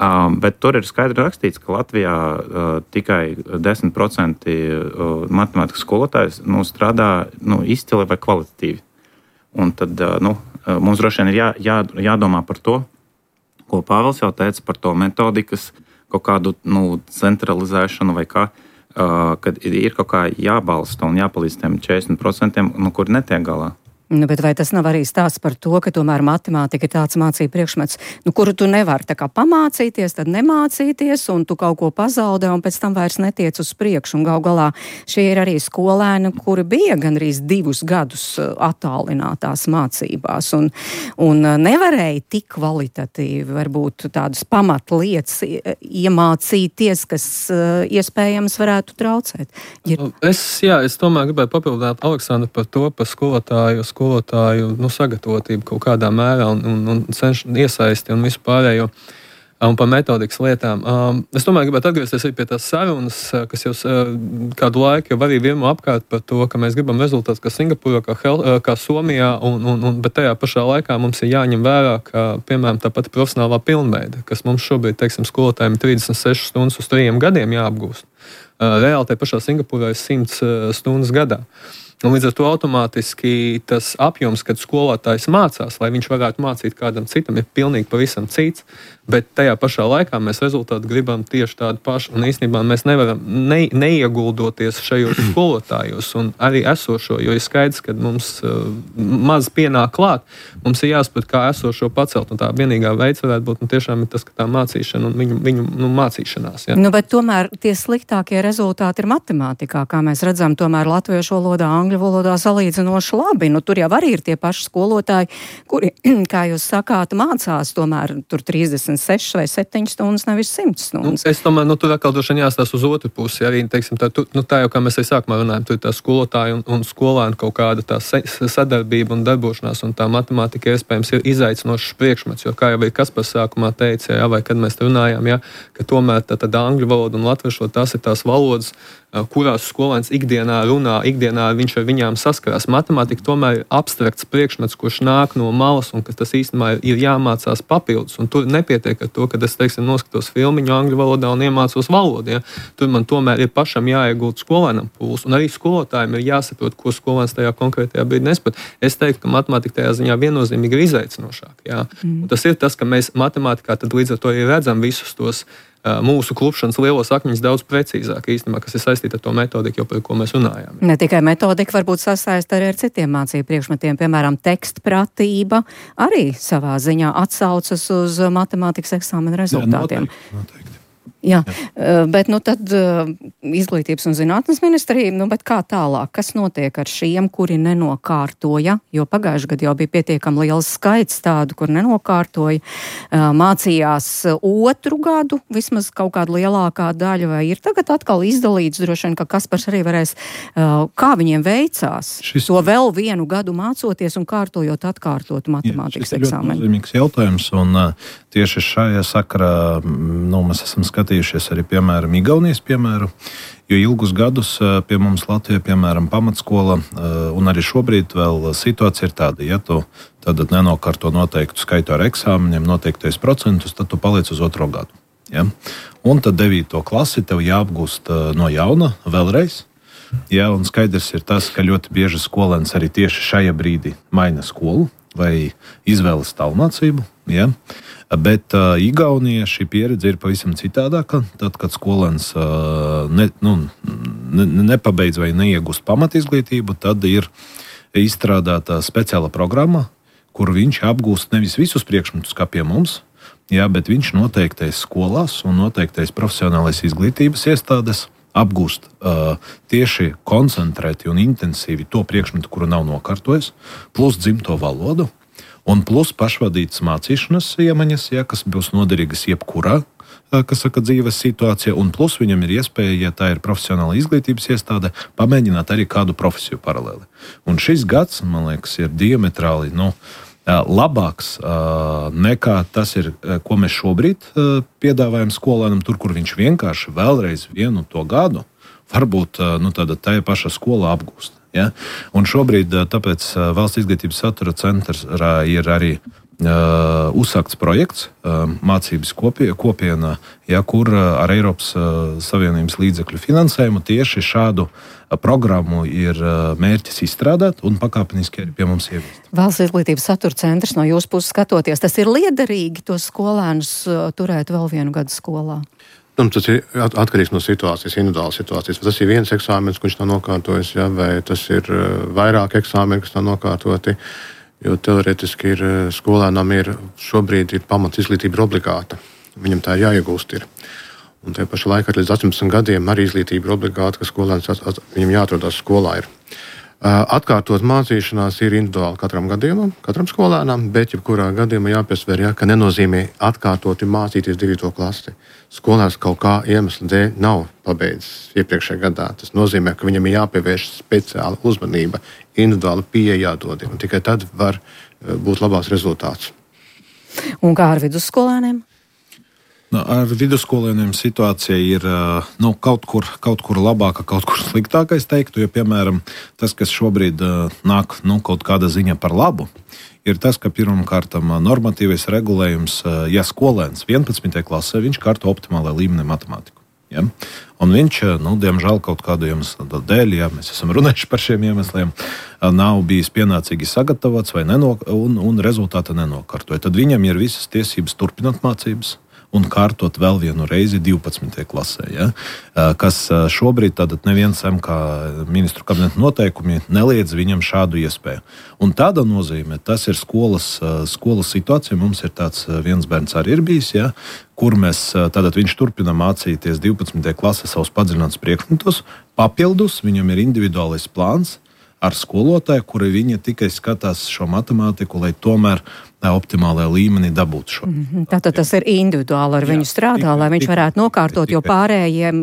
Uh, bet tur ir skaidri rakstīts, ka Latvijā uh, tikai desmit procenti uh, matemātikas skolotājs nu, strādā nu, izcili vai kvalitatīvi. Un tad uh, nu, mums droši vien ir jā, jā, jādomā par to, ko Pāvils jau teica par to metodikas, kaut kādu nu, centralizēšanu vai kā, uh, kad ir kaut kā jābalsta un jāpalīdz tiem četrdesmit procentiem, nu, kuri netiek galā. Nu, bet vai tas nav arī stāsts par to, ka tomēr matemātika ir tāds mācību priekšmets, nu, kuru tu nevari tā kā pamācīties, tad nemācīties, un tu kaut ko pazaudē, un pēc tam vairs netiec uz priekšu. Un gal galā šie ir arī skolēni, kuri bija gandrīz divus gadus attālinātās mācībās, un, un nevarēja tik kvalitatīvi varbūt tādas pamatlietas iemācīties, kas iespējams varētu traucēt. Ir... Es, jā, es tomēr gribēju papildināt Aleksandru par to, par skolotāju, skolotāju nu, sagatavotību kaut kādā mērā un, un, un cenš, iesaisti un visu pārējo un par metodikas lietām. Um, es tomēr gribētu atgriezties arī pie tās sarunas, kas jau uh, kādu laiku jau arī vienmēr apkārt par to, ka mēs gribam rezultātus kā Singapūrā, kā, Hel, uh, kā Somijā, un, un, un, bet tajā pašā laikā mums ir jāņem vērā, ka, piemēram, tā pati profesionālā pilnveida, kas mums šobrīd, teiksim, skolotājiem trīsdesmit sešas stundas uz trījiem gadiem jāapgūst. Uh, reāli tajā pašā Singapūrā ir simts uh, stundas gadā. Un līdz ar to automātiski tas apjoms, kad skolotājs mācās, lai viņš varētu mācīt kādam citam, ir pilnīgi pavisam cits. bet tajā pašā laikā mēs rezultātu gribam tieši tādu pašu. Un īstenībā mēs nevaram ne, neieguldot šajos skolotājos un arī esošo, jo ir skaidrs, ka mums uh, maz pienāk klāt, mums ir jāsaprot, kā esošo pacelt. Un tā vienīgā veids varētu būt nu, tiešām ir tas, ka tā mācīšana un viņu, viņu nu, mācīšanās. Ja. Nu, bet tomēr tie sliktākie rezultāti ir matemātikā, kā mēs redzam, tomēr latviešu valodā, angļu valodā salīdzinoši labi. Nu, tur jau arī ir tie paši skolotāji, kuri, kā jūs sakāt, mācās tomēr tur trīsdesmit sešas vai septiņas stundas, nevis simt stundas. Nu, es domāju, nu, tur atkal došana jāstās uz otru pusi. Arī, teiksim, tā, tu, nu, tā jau, kā mēs arī sākumā runājam, tur ir tā skolotāja un, un skolēna kaut kāda tā sadarbība un darbošanās, un tā matemātika iespējams ir izaicinošs priekšmets, jo, kā jau arī Kaspars sākumā teica, jā, vai kad mēs runājām, jā, ka tomēr tā, tā angļu valoda un latviešu tās ir tās valodas, kurās skolēns ikdienā runā, ikdienā viņš ar viņām saskarās. Matemātika tomēr ir abstrakts priekšmets, kurš nāk no malas un ka tas īstenībā ir jāmācās papildus. Un tur nepietiek ar to, ka es, teiksim, noskatos filmiņu angļu valodā un iemācos valodu. Ja? Tur man tomēr ir pašam jāiegūt skolēnam pūles. Un arī skolotājiem ir jāsaprot, ko skolēns tajā konkrētajā brīdī nespēj. Es teiktu, ka matemātika tajā ziņā viennozīmīgi ir izaicinošāka. Ja? Mm. Un tas ir tas, ka mēs matemātikā tad līdz ar to arī redzam visus tos mūsu klupšanas lielos akmeņus daudz precīzāk īstenībā, kas ir saistīta ar to metodiku, par ko mēs runājām. Ne tikai metodika, varbūt sasaista arī ar citiem mācību priekšmetiem, piemēram, tekstpratība arī savā ziņā atsaucas uz matemātikas eksāmena rezultātiem. Jā, noteikti, noteikti. Jā, Jā, bet nu tad izglītības un zinātnes ministrija, nu bet kā tālāk, kas notiek ar šiem, kuri nenokārtoja, jo pagājuši gadu jau bija pietiekami liels skaits tādu, kur nenokārtoja, mācījās otru gadu, vismaz kaut kāda lielākā daļa, vai ir tagad atkal izdalīts, droši vien, ka Kaspars arī varēs, kā viņiem veicās Šis... to vēl vienu gadu mācoties un kārtojot atkārtot matemātikas eksāmenu. Jā, šis ir ļoti nozīmīgs jautājums, un tieši šajā sakarā, nu, mēs esam skatījušies arī, piemēram, Igaunijas piemēru, jo ilgus gadus pie mums Latvijā, piemēram, pamatskola, un arī šobrīd vēl situācija ir tāda, ja tu tad nenokārto noteiktu skaitu ar eksāmeniem, noteiktais procentus, tad tu paliec uz otro gadu. Ja? Un tad devīto klasi tev jāapgūst no jauna vēlreiz. Ja? Un skaidrs ir tas, ka ļoti bieži skolēns arī tieši šajā brīdī maina skolu vai izvēlas tālmācību. Ja? Bet uh, Igaunijā šī pieredze ir pavisam citādāka. Tad, kad skolēns uh, ne, nu, ne, nepabeidz vai neiegūst pamatizglītību, tad ir izstrādāta speciāla programma, kur viņš apgūst nevis visus priekšmetus, kā pie mums, jā, bet viņš noteiktais skolās un noteiktais profesionālais izglītības iestādes apgūst uh, tieši koncentrēti un intensīvi to priekšmetu, kuru nav nokārtojis, plus dzimto valodu. Un plus pašvadītas mācīšanas iemaņas, ja, kas būs noderīgas jebkurā, kas saka, dzīves situācijā, un plus viņam ir iespēja, ja tā ir profesionāla izglītības iestāde, pamēģināt arī kādu profesiju paralēli. Un šis gads, man liekas, ir diametrāli nu, labāks nekā tas ir, ko mēs šobrīd piedāvājam skolēnam, tur, kur viņš vienkārši vēlreiz vienu to gadu varbūt nu, tāda tajā paša skolā apgūst. Ja? Un šobrīd tāpēc Valsts izglītības satura centrā ir arī uh, uzsākts projekts uh, mācības kopie, kopiena, ja, kur uh, ar Eiropas uh, Savienības līdzekļu finansējumu tieši šādu uh, programmu ir uh, mērķis izstrādāt un pakāpeniski arī pie mums ieviest. Valsts izglītības satura centrs no jūsu puses skatoties, tas ir liederīgi tos skolēnus uh, turēt vēl vienu gadu skolā? Un tas ir atkarīgs no situācijas, individuālas situācijas. Vai tas ir viens eksāmens, kurš nav nokārtojis, ja, vai tas ir vairāk eksāmeni, kas nav nokārtoti. Jo teorētiski ir skolēnam ir šobrīd ir pamats izglītība obligāta. Viņam tā ir jāiegūst. Ir. Un tajā pašā laikā līdz astoņpadsmit gadiem arī izglītība ir obligāta, ka skolēns viņam jāatrodās skolā. Ir. Atkārtot mācīšanās ir individuāli katram gadījumam, katram skolēnam, bet jebkurā gadījumā jāpiesver, ja, ka nenozīmē atkārtoti mācīties devīto klasi. Skolēns kaut kā iemesla dēļ nav pabeidzis iepriekšējā gadā. Tas nozīmē, ka viņam ir jāpievērš speciāla uzmanība, individuāla pieeja jādod, un tikai tad var būt labāks rezultāts. Un kā ar vidusskolēniem? Nu, ar vidusskolēniem situācija ir nu, kaut, kur, kaut kur labāka, kaut kur sliktāka, es teiktu, jo, piemēram, tas, kas šobrīd nāk nu, kaut kāda ziņa par labu, ir tas, ka pirmkārtam normatīvais regulējums, ja skolēns vienpadsmitajā klasē, viņš kārto optimālā līmenī matemātiku. Ja? Un viņš, nu, diemžēl, kaut kādu iemeslu dēļ, ja mēs esam runājuši par šiem iemesliem, nav bijis pienācīgi sagatavots vai nenok- un, un rezultāti nenokārtoja. Tad viņam ir visas tiesības turpināt mācības un kārtot vēl vienu reizi divpadsmitajā klasē. Ja? Kas šobrīd tātad neviens M K ministru kabineta noteikumi neliedz viņam šādu iespēju. Un tāda nozīmē, tas ir skolas, skolas situācija. Mums ir tāds viens bērns arī ir bijis, ja? Kur mēs, tātad viņš turpina mācīties divpadsmitajā klasē savus padziļinātus priekšmetus, papildus viņam ir individuālais plāns ar skolotāju, kuri viņa tikai skatās šo matemātiku, lai tomēr optimālajā līmenī dabūtu šo. Mm-hmm. Tātad tas ir individuāli ar jā, viņu strādā, tikai, lai viņš tikai, varētu nokārtot, tikai, jo pārējiem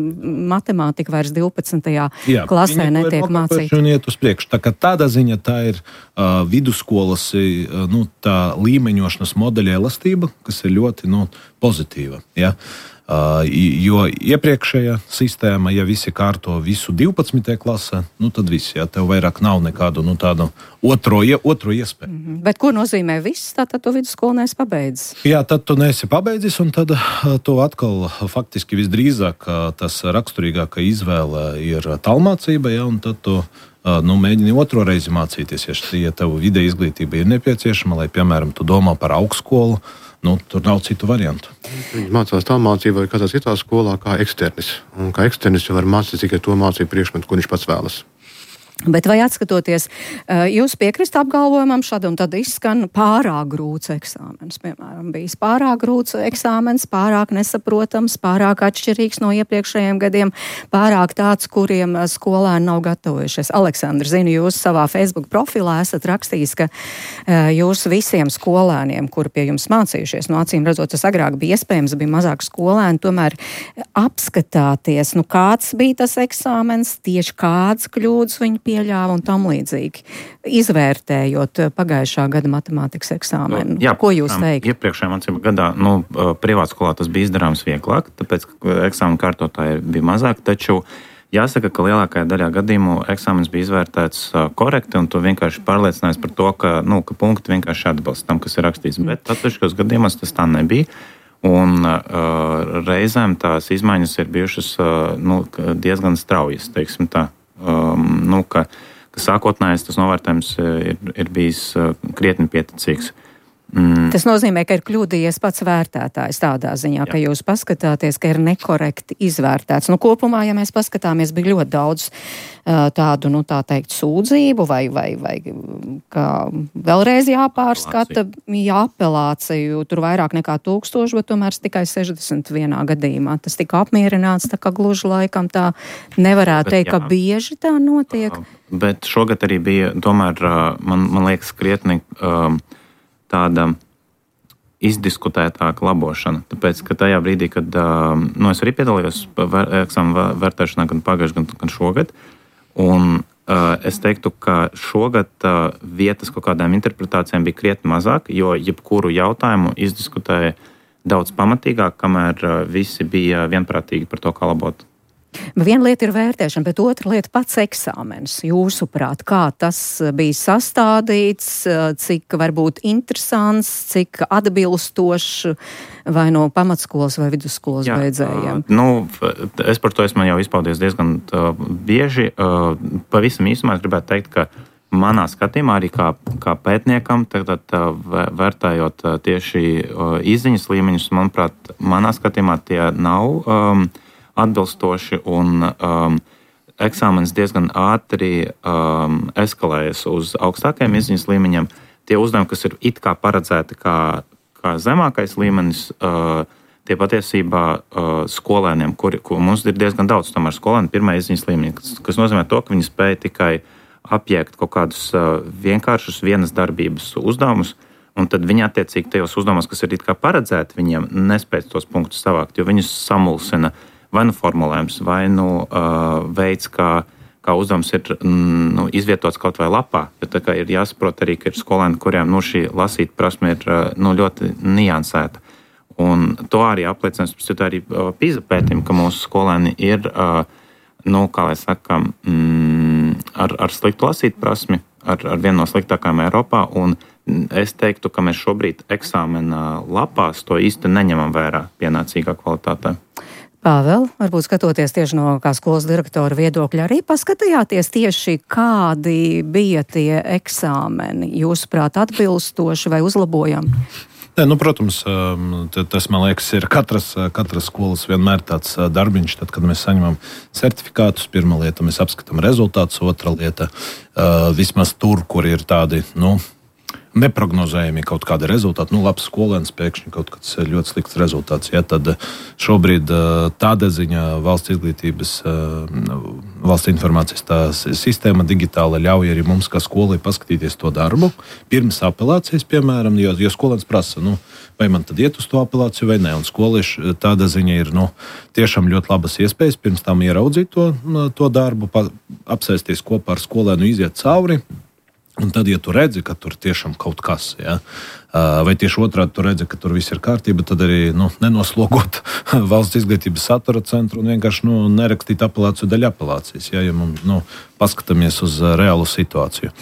matemātika vairs divpadsmitajā jā, klasē netiek mācīta. Un iet uz priekšu. Tā kā tādā ziņa tā ir uh, vidusskolas uh, nu, tā līmeņošanas modeļa elastība, kas ir ļoti nu, pozitīva. Ja? Uh, jo iepriekšējā sistēma, ja visi kārto visu divpadsmitajā klasē, nu tad viss, ja tev vairāk nav nekādu nu, tādu otro, otro iespēju. Mm-hmm. Bet ko nozīmē viss? Tātad tu vidusskolu neesi pabeidzis? Jā, tad tu neesi pabeidzis, un tad tu atkal faktiski visdrīzāk tas raksturīgākā izvēle ir tālmācība, ja, un tad tu nu, mēģini otro reizi mācīties, ja, ja tev vidē izglītība ir nepieciešama, lai, piemēram, tu domā par augstskolu. Nu, tur nav citu variantu. Viņi mācās tā mācību vai kādā citā skolā kā eksternis. Un kā eksternis jau var mācīt tikai to mācību priekšmetu, ko viņš pats vēlas. Bet vai atskatoties, jūs piekrist apgalvojumam šādu un tad izskan pārāk grūts eksāmens, piemēram, bijis pārāk grūts eksāmens, pārāk nesaprotams, pārāk atšķirīgs no iepriekšējiem gadiem, pārāk tāds, kuriem skolēni nav gatavojušies. Aleksandrs, zinu, jūs savā Facebook profilā esat rakstījis, ka jūs visiem skolēniem, kuri pie jums mācījušies, no acīm redzot, tas agrāk bija iespējams, bija mazāk skolēni, tomēr apskatāties, nu kāds bija tas eksāmens, tieši kāds kļūdas viņi pieļāva un tam līdzīgi. Izvērtējot pagājušā gada matemātikas eksāmenu. Jā, ko jūs teikt? Iepriekšējā mācību gadā, nu, privātskolā tas bija izdarāms vieglāk, tāpēc, ka eksāmenu kārtotāji bija mazāk, taču jāsaka, ka lielākajā daļā gadījumu eksāmens bija izvērtēts korekti, un tu vienkārši pārliecinājies par to, ka, nu, ka punkti vienkārši atbilst tam, kas ir rakstīts. Mm. Bet atsevišķos gadījumos tas tā nebija. Un uh, reizēm tās izmaiņas ir bijušas uh, nu, diezgan straujas, teiksim tā. Um, nu, ka, ka sākotnējais tas novērtējums ir, ir bijis uh, krietni pieticīgs. Mm. Tas nozīmē, ka ir kļūdījies pats vērtētājs tādā ziņā, Jā. Ka jūs paskatāties, ka ir nekorekti izvērtēts. Nu, kopumā, ja mēs paskatāmies, bija ļoti daudz uh, tādu, nu, tā teikt, sūdzību vai, vai, vai kā vēlreiz jāpārskata, jā, apelāciju, tur vairāk nekā tūkstoši, bet tomēr tikai sešdesmit vienā gadījumā. Tas tika apmierināts, tā kā gluži laikam tā nevarētu bet, teikt, jā. Ka bieži tā notiek. Uh, bet šogad arī bija, tomēr, uh, man, man liekas, krietni uh, tāda izdiskutētāka labošana. Tāpēc, ka tajā brīdī, kad nu, es arī piedalījos eksāmenu vērtēšanā gan pagājušajā, gan, gan šogad, un uh, es teiktu, ka šogad uh, vietas kaut kādām interpretācijām bija krietni mazāk, jo jebkuru jautājumu izdiskutēja daudz pamatīgāk, kamēr uh, visi bija vienprātīgi par to, kā labot. Viena lieta ir vērtēšana, bet otra lieta pats eksāmens. Jūsuprāt, kā tas bija sastādīts, cik varbūt interesants, cik atbilstošs vai no pamatskolas vai vidusskolas Jā, beidzējiem? Uh, nu, es par to esmu jau izpaudies diezgan uh, bieži. Uh, pavisam īsumā es gribētu teikt, ka manā skatījumā arī kā, kā pētniekam, tagad uh, vērtējot uh, tieši uh, izziņas līmeņus, manuprāt, manā skatījumā tie nav um, atbilstoši, un um, eksāmenis diezgan ātri um, eskalējas uz augstākajiem izziņas līmeņiem. Tie uzdevumi, kas ir it kā paredzēti kā, kā zemākais līmenis, uh, tie patiesībā uh, skolēniem, kuri, kur mums ir diezgan daudz, tomēr skolēni pirmā izziņas līmeņa, kas, kas nozīmē to, ka viņi spēja tikai apjēgt kaut kādus uh, vienkāršus vienas darbības uzdevumus, un tad viņi attiecīgi tajos uzdevumos, kas ir it kā paredzēti, viņiem nespēj tos punktus savākt, jo viņus samulsina vai nu formulējums, vai nu uh, veids, kā, kā uzdevums ir mm, nu, izvietots kaut vai lapā. Jo tā kā ir jāsaprot arī, ka ir skolēni, kuriem nu, šī lasīt prasme ir uh, nu, ļoti niansēta. Un to arī apliecina, tas arī uh, PISA pētījumi, ka mūsu skolēni ir, uh, nu, kā lai saka, mm, ar, ar sliktu lasīt prasmi, ar, ar vienu no sliktākajām Eiropā, un es teiktu, ka mēs šobrīd eksāmena lapās to īsti neņemam vērā pienācīgā kvalitātē. Pāvēl, varbūt skatoties tieši no kā skolas direktora viedokļa, arī paskatījāties tieši, kādi bija tie eksāmeni, jūsuprāt, atbilstoši vai uzlabojami? Ne, nu, protams, tas, man liekas, ir katras, katras skolas vienmēr tāds darbiņš. Tad, kad mēs saņemam certifikātus, pirmā lieta, mēs apskatām rezultātus, otra lieta, vismaz tur, kur ir tādi, nu, neprognozējami kaut kādi rezultāti. Nu, labs skolēns pēkšņi kaut kāds ļoti slikts rezultāts. Ja, tad šobrīd tāda ziņa valsts izglītības, valsts informācijas tā sistēma digitāla ļauj arī mums, kā skolai, paskatīties to darbu. Pirms apelācijas, piemēram, jo, jo skolēns prasa, nu, vai man tad iet uz to apelāciju vai ne. Un skolieši tāda ziņa ir, nu, tiešām ļoti labas iespējas pirms tam ieraudzīt to, to darbu, pa, apsēsties kopā ar skolēnu, iziet cauri. Un tad, ja tu redzi, ka tur tiešām kaut kas, ja, vai tieši otrādi tu redzi, ka tur viss ir kārtība, tad arī, nu, nenoslogot valsts izglītības satura centru un vienkārši, nu, nerakstīt apelāciju daļa apelācijas, ja, ja mums, nu, paskatāmies uz reālu situāciju.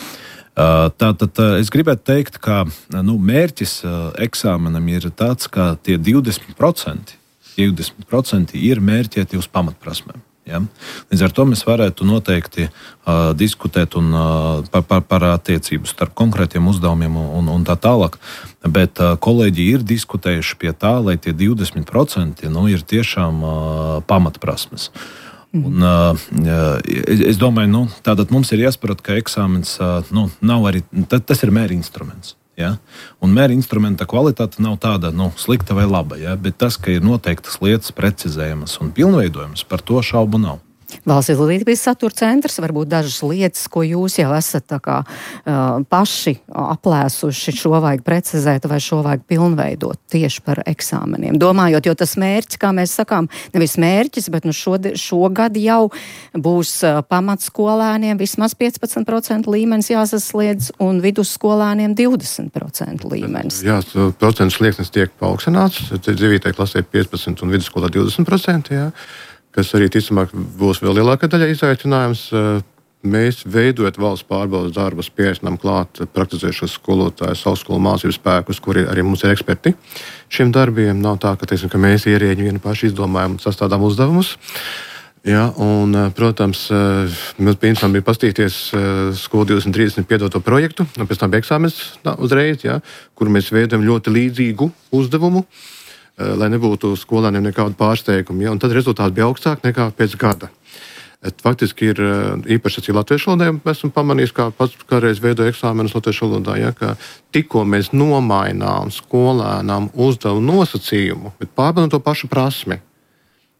Tātad es gribētu teikt, ka, nu, mērķis eksāmenam ir tāds, ka tie divdesmit procenti, divdesmit procenti ir mērķēti uz pamatprasmēm. Ja? Līdz ar to mēs varētu noteikti uh, diskutēt un, uh, par, par, par attiecību starp konkrētiem uzdevumiem un, un tā tālāk. Bet uh, kolēģi ir diskutējuši pie tā, lai tie divdesmit procenti nu, ir tiešām uh, pamatprasmes. Mm. Un, uh, es domāju, nu, tātad mums ir jāsaprot, ka eksāmens uh, nu, nav arī, tas ir mēri instruments. Ja? Un mēra instrumenta kvalitāte nav tāda, nu, slikta vai laba, ja? Bet tas, ka ir noteiktas lietas precizējamas un pilnveidojamas, par to šaubu nav. Valsts izglītības satura centrs, varbūt dažas lietas, ko jūs jau esat tā kā uh, paši aplēsuši, šo vajag precizēt vai šo vajag pilnveidot tieši par eksāmeniem. Domājot, jo tas mērķis, kā mēs sakām, nevis mērķis, bet nu šod, šogad jau būs uh, pamatskolēniem vismaz piecpadsmit procentu līmenis jāsasliedz un vidusskolēniem divdesmit procentu līmenis. Jā, procentu slieksnis tiek paaugstināts, devītajā klasē piecpadsmit un vidusskolā divdesmit procenti, jā. Kas arī, ticamāk, būs vēl lielākā daļa izaicinājums. Mēs, veidojot valsts pārbaudas darbus, pieaicinām klāt praktizējušos skolotājus, augstskolu mācību spēkus, kuri arī mums ir eksperti šiem darbiem. Nav tā, ka, teiksim, ka mēs ierēģi vienu paši izdomājam un sastādām uzdevumus. Ja, un, protams, mums bija bija pastīties skolu divdesmit trīsdesmit piedoto projektu, un pēc tam bija eksāmens uzreiz, ja, kur mēs veidojam ļoti līdzīgu uzdevumu, lai nebūtu skolēniem nekādu pārsteigumu. Ja? Un tad rezultāti bija augstāk nekā pēc gada. Et faktiski ir īpaši arī latviešu valodā, esmu pamanījis, kā pats kādreiz veidoju eksāmenus latviešu valodā, ja? Ka tikko mēs nomainām skolēnām uzdevumu nosacījumu, bet pārbaudām to pašu prasmi,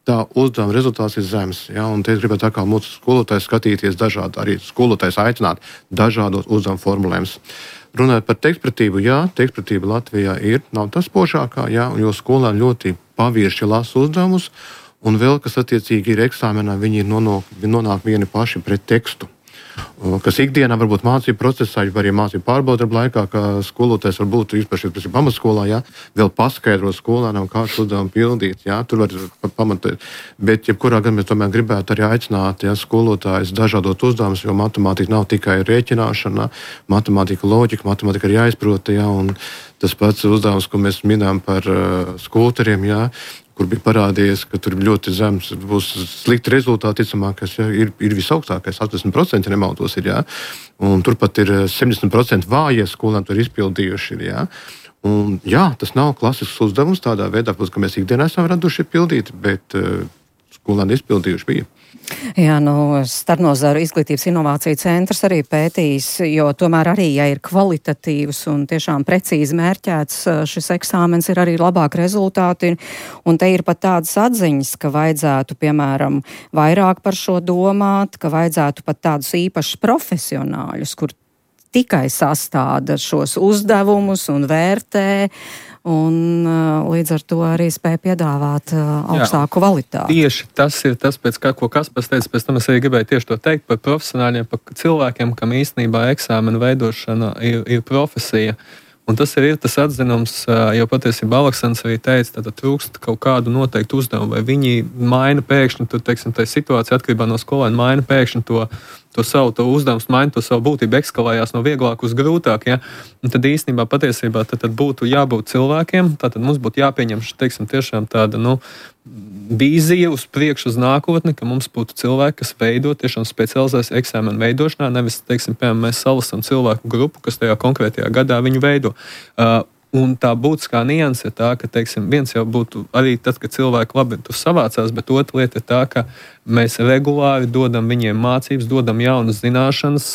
tā uzdevuma rezultāts ir zems. Ja? Un te es gribētu tā kā mūsu skolotājs skatīties dažādi, arī skolotājs aicināt dažādos uzdevumu formulējumus. Runājot par tekstpratību, jā, tekstpratība Latvijā ir, nav tas spožākā, jā, jo skolēni ļoti pavirši lasa uzdevumus, un vēl, kas attiecīgi ir eksāmenā, viņi ir nonāk, nonāk vieni paši pret tekstu. Kas ikdienā varbūt mācību procesā, vai arī mācību pārbaudarbu laikā, ka skolotājs varbūt īpaši pamatskolā, jā, vēl paskaidro skolēnam, kā šo uzdevumu pildīt, jā, tur var pamatēt. Bet, jebkurā gan mēs tomēr gribētu arī aicināt, jā, skolotājus dažādot uzdevumus, jo matemātika nav tikai rēķināšana, matemātika loģika, matemātika ir jāizprot, jā, un tas pats uzdevums, ko mēs minējam par uh, skulptoriem, jā, kur bija parādījies, ka tur ļoti zems būs slikti rezultāti, ticamāk, kas ja, ir, ir visaugstākais, astoņdesmit procenti nemaldos ir, jā. Un turpat ir septiņdesmit procenti vājie skolēni tur izpildījuši ir, jā. Un jā, tas nav klasisks uzdevums tādā veidā, ka mēs ikdienā esam raduši pildīt, bet uh, skolēni izpildījuši bija. Jā, nu, Starpnozaru izglītības inovāciju centrs arī pētījis, jo tomēr arī, ja ir kvalitatīvs un tiešām precīzi mērķēts šis eksāmens, ir arī labāk rezultāti, un te ir pat tādas atziņas, ka vajadzētu, piemēram, vairāk par šo domāt, ka vajadzētu pat tādus īpašus profesionāļus, kur tikai sastāda šos uzdevumus un vērtē, un uh, līdz ar to arī spēja piedāvāt uh, augstāku Jā, kvalitāti. Tieši tas ir tas, pēc kā, ko Kaspars teica, pēc tam es arī gribēju tieši to teikt par profesionāļiem, par cilvēkiem, kam īstenībā eksāmena veidošana ir, ir profesija. Un tas ir, ir tas atzinums, jo patiesībā Aleksandrs arī teica, ka trūkst kaut kādu noteiktu uzdevumu, vai viņi maina pēkšņi, tur, teiksim, tā situācija atkarībā no skolēna, maina pēkšņi to, to savu to uzdevumu, maina to savu būtību, ekskalējās no vieglāk uz grūtāk. Ja? Un tad īstenībā patiesībā tad, tad būtu jābūt cilvēkiem, tātad mums būtu jāpieņem, teiksim, tiešām tāda, nu, vīzija uz priekšu, uz nākotni, ka mums būtu cilvēki, kas veido tiešām specializēs eksāmenu veidošanā, nevis, teiksim, piemēram, mēs salasam cilvēku grupu, kas tajā konkrētajā gadā viņu veido. Uh, Un tā būtiskā nianse ir tā, ka, teiksim, viens jau būtu arī tad, kad cilvēki labi tur savācās, bet otra lieta ir tā, ka mēs regulāri dodam viņiem mācības, dodam jaunas zināšanas,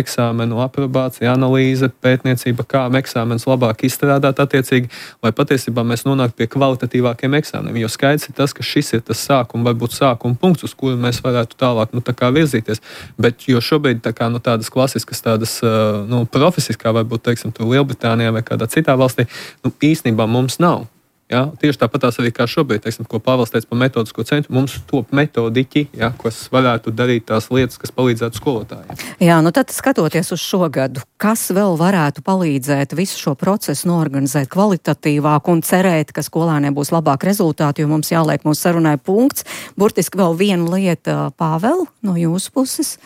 eksāmenu aprobācija, analīze, pētniecība, kā eksāmenus labāk izstrādāt attiecīgi, lai patiesībā mēs nonāktu pie kvalitatīvākiem eksāmeniem. Jo skaidrs ir tas, ka šis ir tas sākuma, varbūt sākuma punkts, uz kuru mēs varētu tālāk nu, tā kā virzīties. Bet jo šobrīd tā kā, nu, tādas klasiskas, tādas nu, profesijas, kā varbūt, teiksim, tur Lielbritānijā vai kādā citā valstī, nu, īstenībā mums nav. Ja? Tieši tāpat arī kā šobrīd, teiksim, ko Pāvils teica par metodisko centru, mums top metodiķi, ja, kas varētu darīt tās lietas, kas palīdzētu skolotājiem. Jā, nu tad skatoties uz šo gadu, kas vēl varētu palīdzēt visu šo procesu norganizēt kvalitatīvāk un cerēt, ka skolēniem būs labāk rezultāti, jo mums jāliek mūsu sarunai punkts. Burtiski vēl viena lieta, Pāvel, no jūsu puses.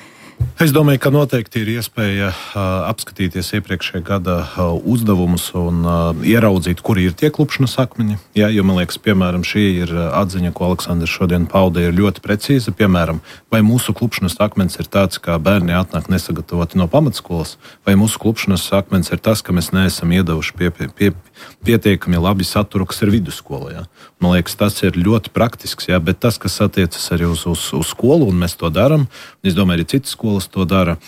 Es domāju, ka noteikti ir iespēja uh, apskatīties iepriekšējā gada uh, uzdevumus un uh, ieraudzīt, kuri ir tie klupšanas akmeņi. Jā, jo man liekas, piemēram, šī ir atziņa, ko Aleksandrs šodien pauda, ir ļoti precīza. Piemēram, vai mūsu klupšanas akmens ir tāds, kā bērni atnāk nesagatavoti no pamatskolas, vai mūsu klupšanas akmens ir tas, ka mēs neesam iedevuši pie, pie, pie, pietiekami labi saturu, kas ir vidusskolā. Jā. Man liekas, tas ir ļoti praktisks, jā, bet tas, kas attiecas arī uz, uz, uz skolu, un mēs to darām, es domāju, arī citas skolas to dara,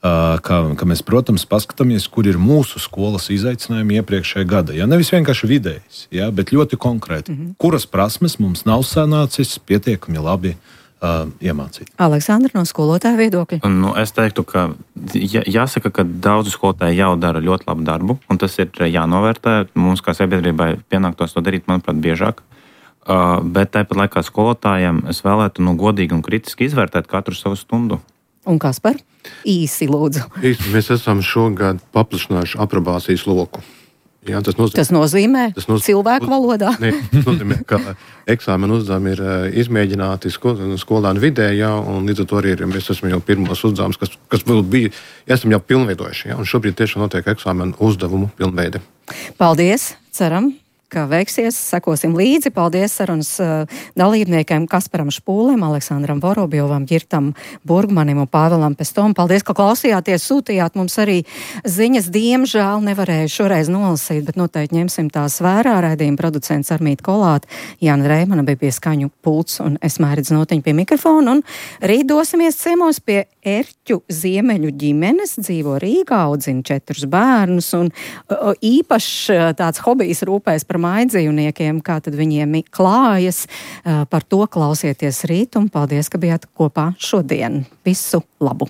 ka, ka mēs, protams, paskatāmies, kur ir mūsu skolas izaicinājumi iepriekšējā gada. Ja? Nevis vienkārši vidējs, ja? Bet ļoti konkrēti. Mm-hmm. Kuras prasmes mums nav sanācis pietiekami labi uh, iemācīt? Aleksandra, no skolotāja viedokļa? Nu, es teiktu, ka jā, jāsaka, ka daudzi skolotāji jau dara ļoti labu darbu, un tas ir jānovērtē. Mums kā sabiedrībai pienāktos to darīt, manuprāt, biežāk. Uh, bet tāpat laikā skolotājiem es vēlētu nu, godīgi un kritiski izvērtēt katru savu stundu. Un Kaspar? Īsi lūdzu. Īsti mēs esam šogad paplašinājuši aprobācijas loku. Jā, tas nozīmē, tas nozīmē, tas nozīmē cilvēku valodā? Ne, tas nozīmē, ka eksāmenu uzdevumi ir izmēģināti skolēnu vidē, jā, un līdz ar to arī ir, mēs esam jau pirmos uzdevumus, kas, kas vēl bija, esam jau pilnveidojuši, jā, un šobrīd tiešām notiek eksāmenu uzdevumu pilnveide. Paldies, ceram, ka veiksies, sekosim līdzi. Paldies sarunas uh, dalībniekiem Kasparam Špūlēm, Aleksandram Vorobjovam, Girtam Burgmanim un Pāvelam Pestom. Paldies, ka klausījāties, sūtījāt mums arī ziņas. Diemžēl nevarēju šoreiz nolasīt, bet noteikti ņemsim tās vērā. Raidījuma producents Armīta Kolāte, Jāna Reimana bija pie skaņu pults un es Mairidz Notiņa pie mikrofona. Un rīt dosimies ciemos pie Erķu ziemeļu ģimenes, dzīvo Rīgā, audzina četrus bērnus un uh, īpaši tāds hobijs rūpēs par mājdzīvniekiem, kā tad viņiem klājas. Par to klausieties rīt un paldies, ka bijāt kopā šodien. Visu labu!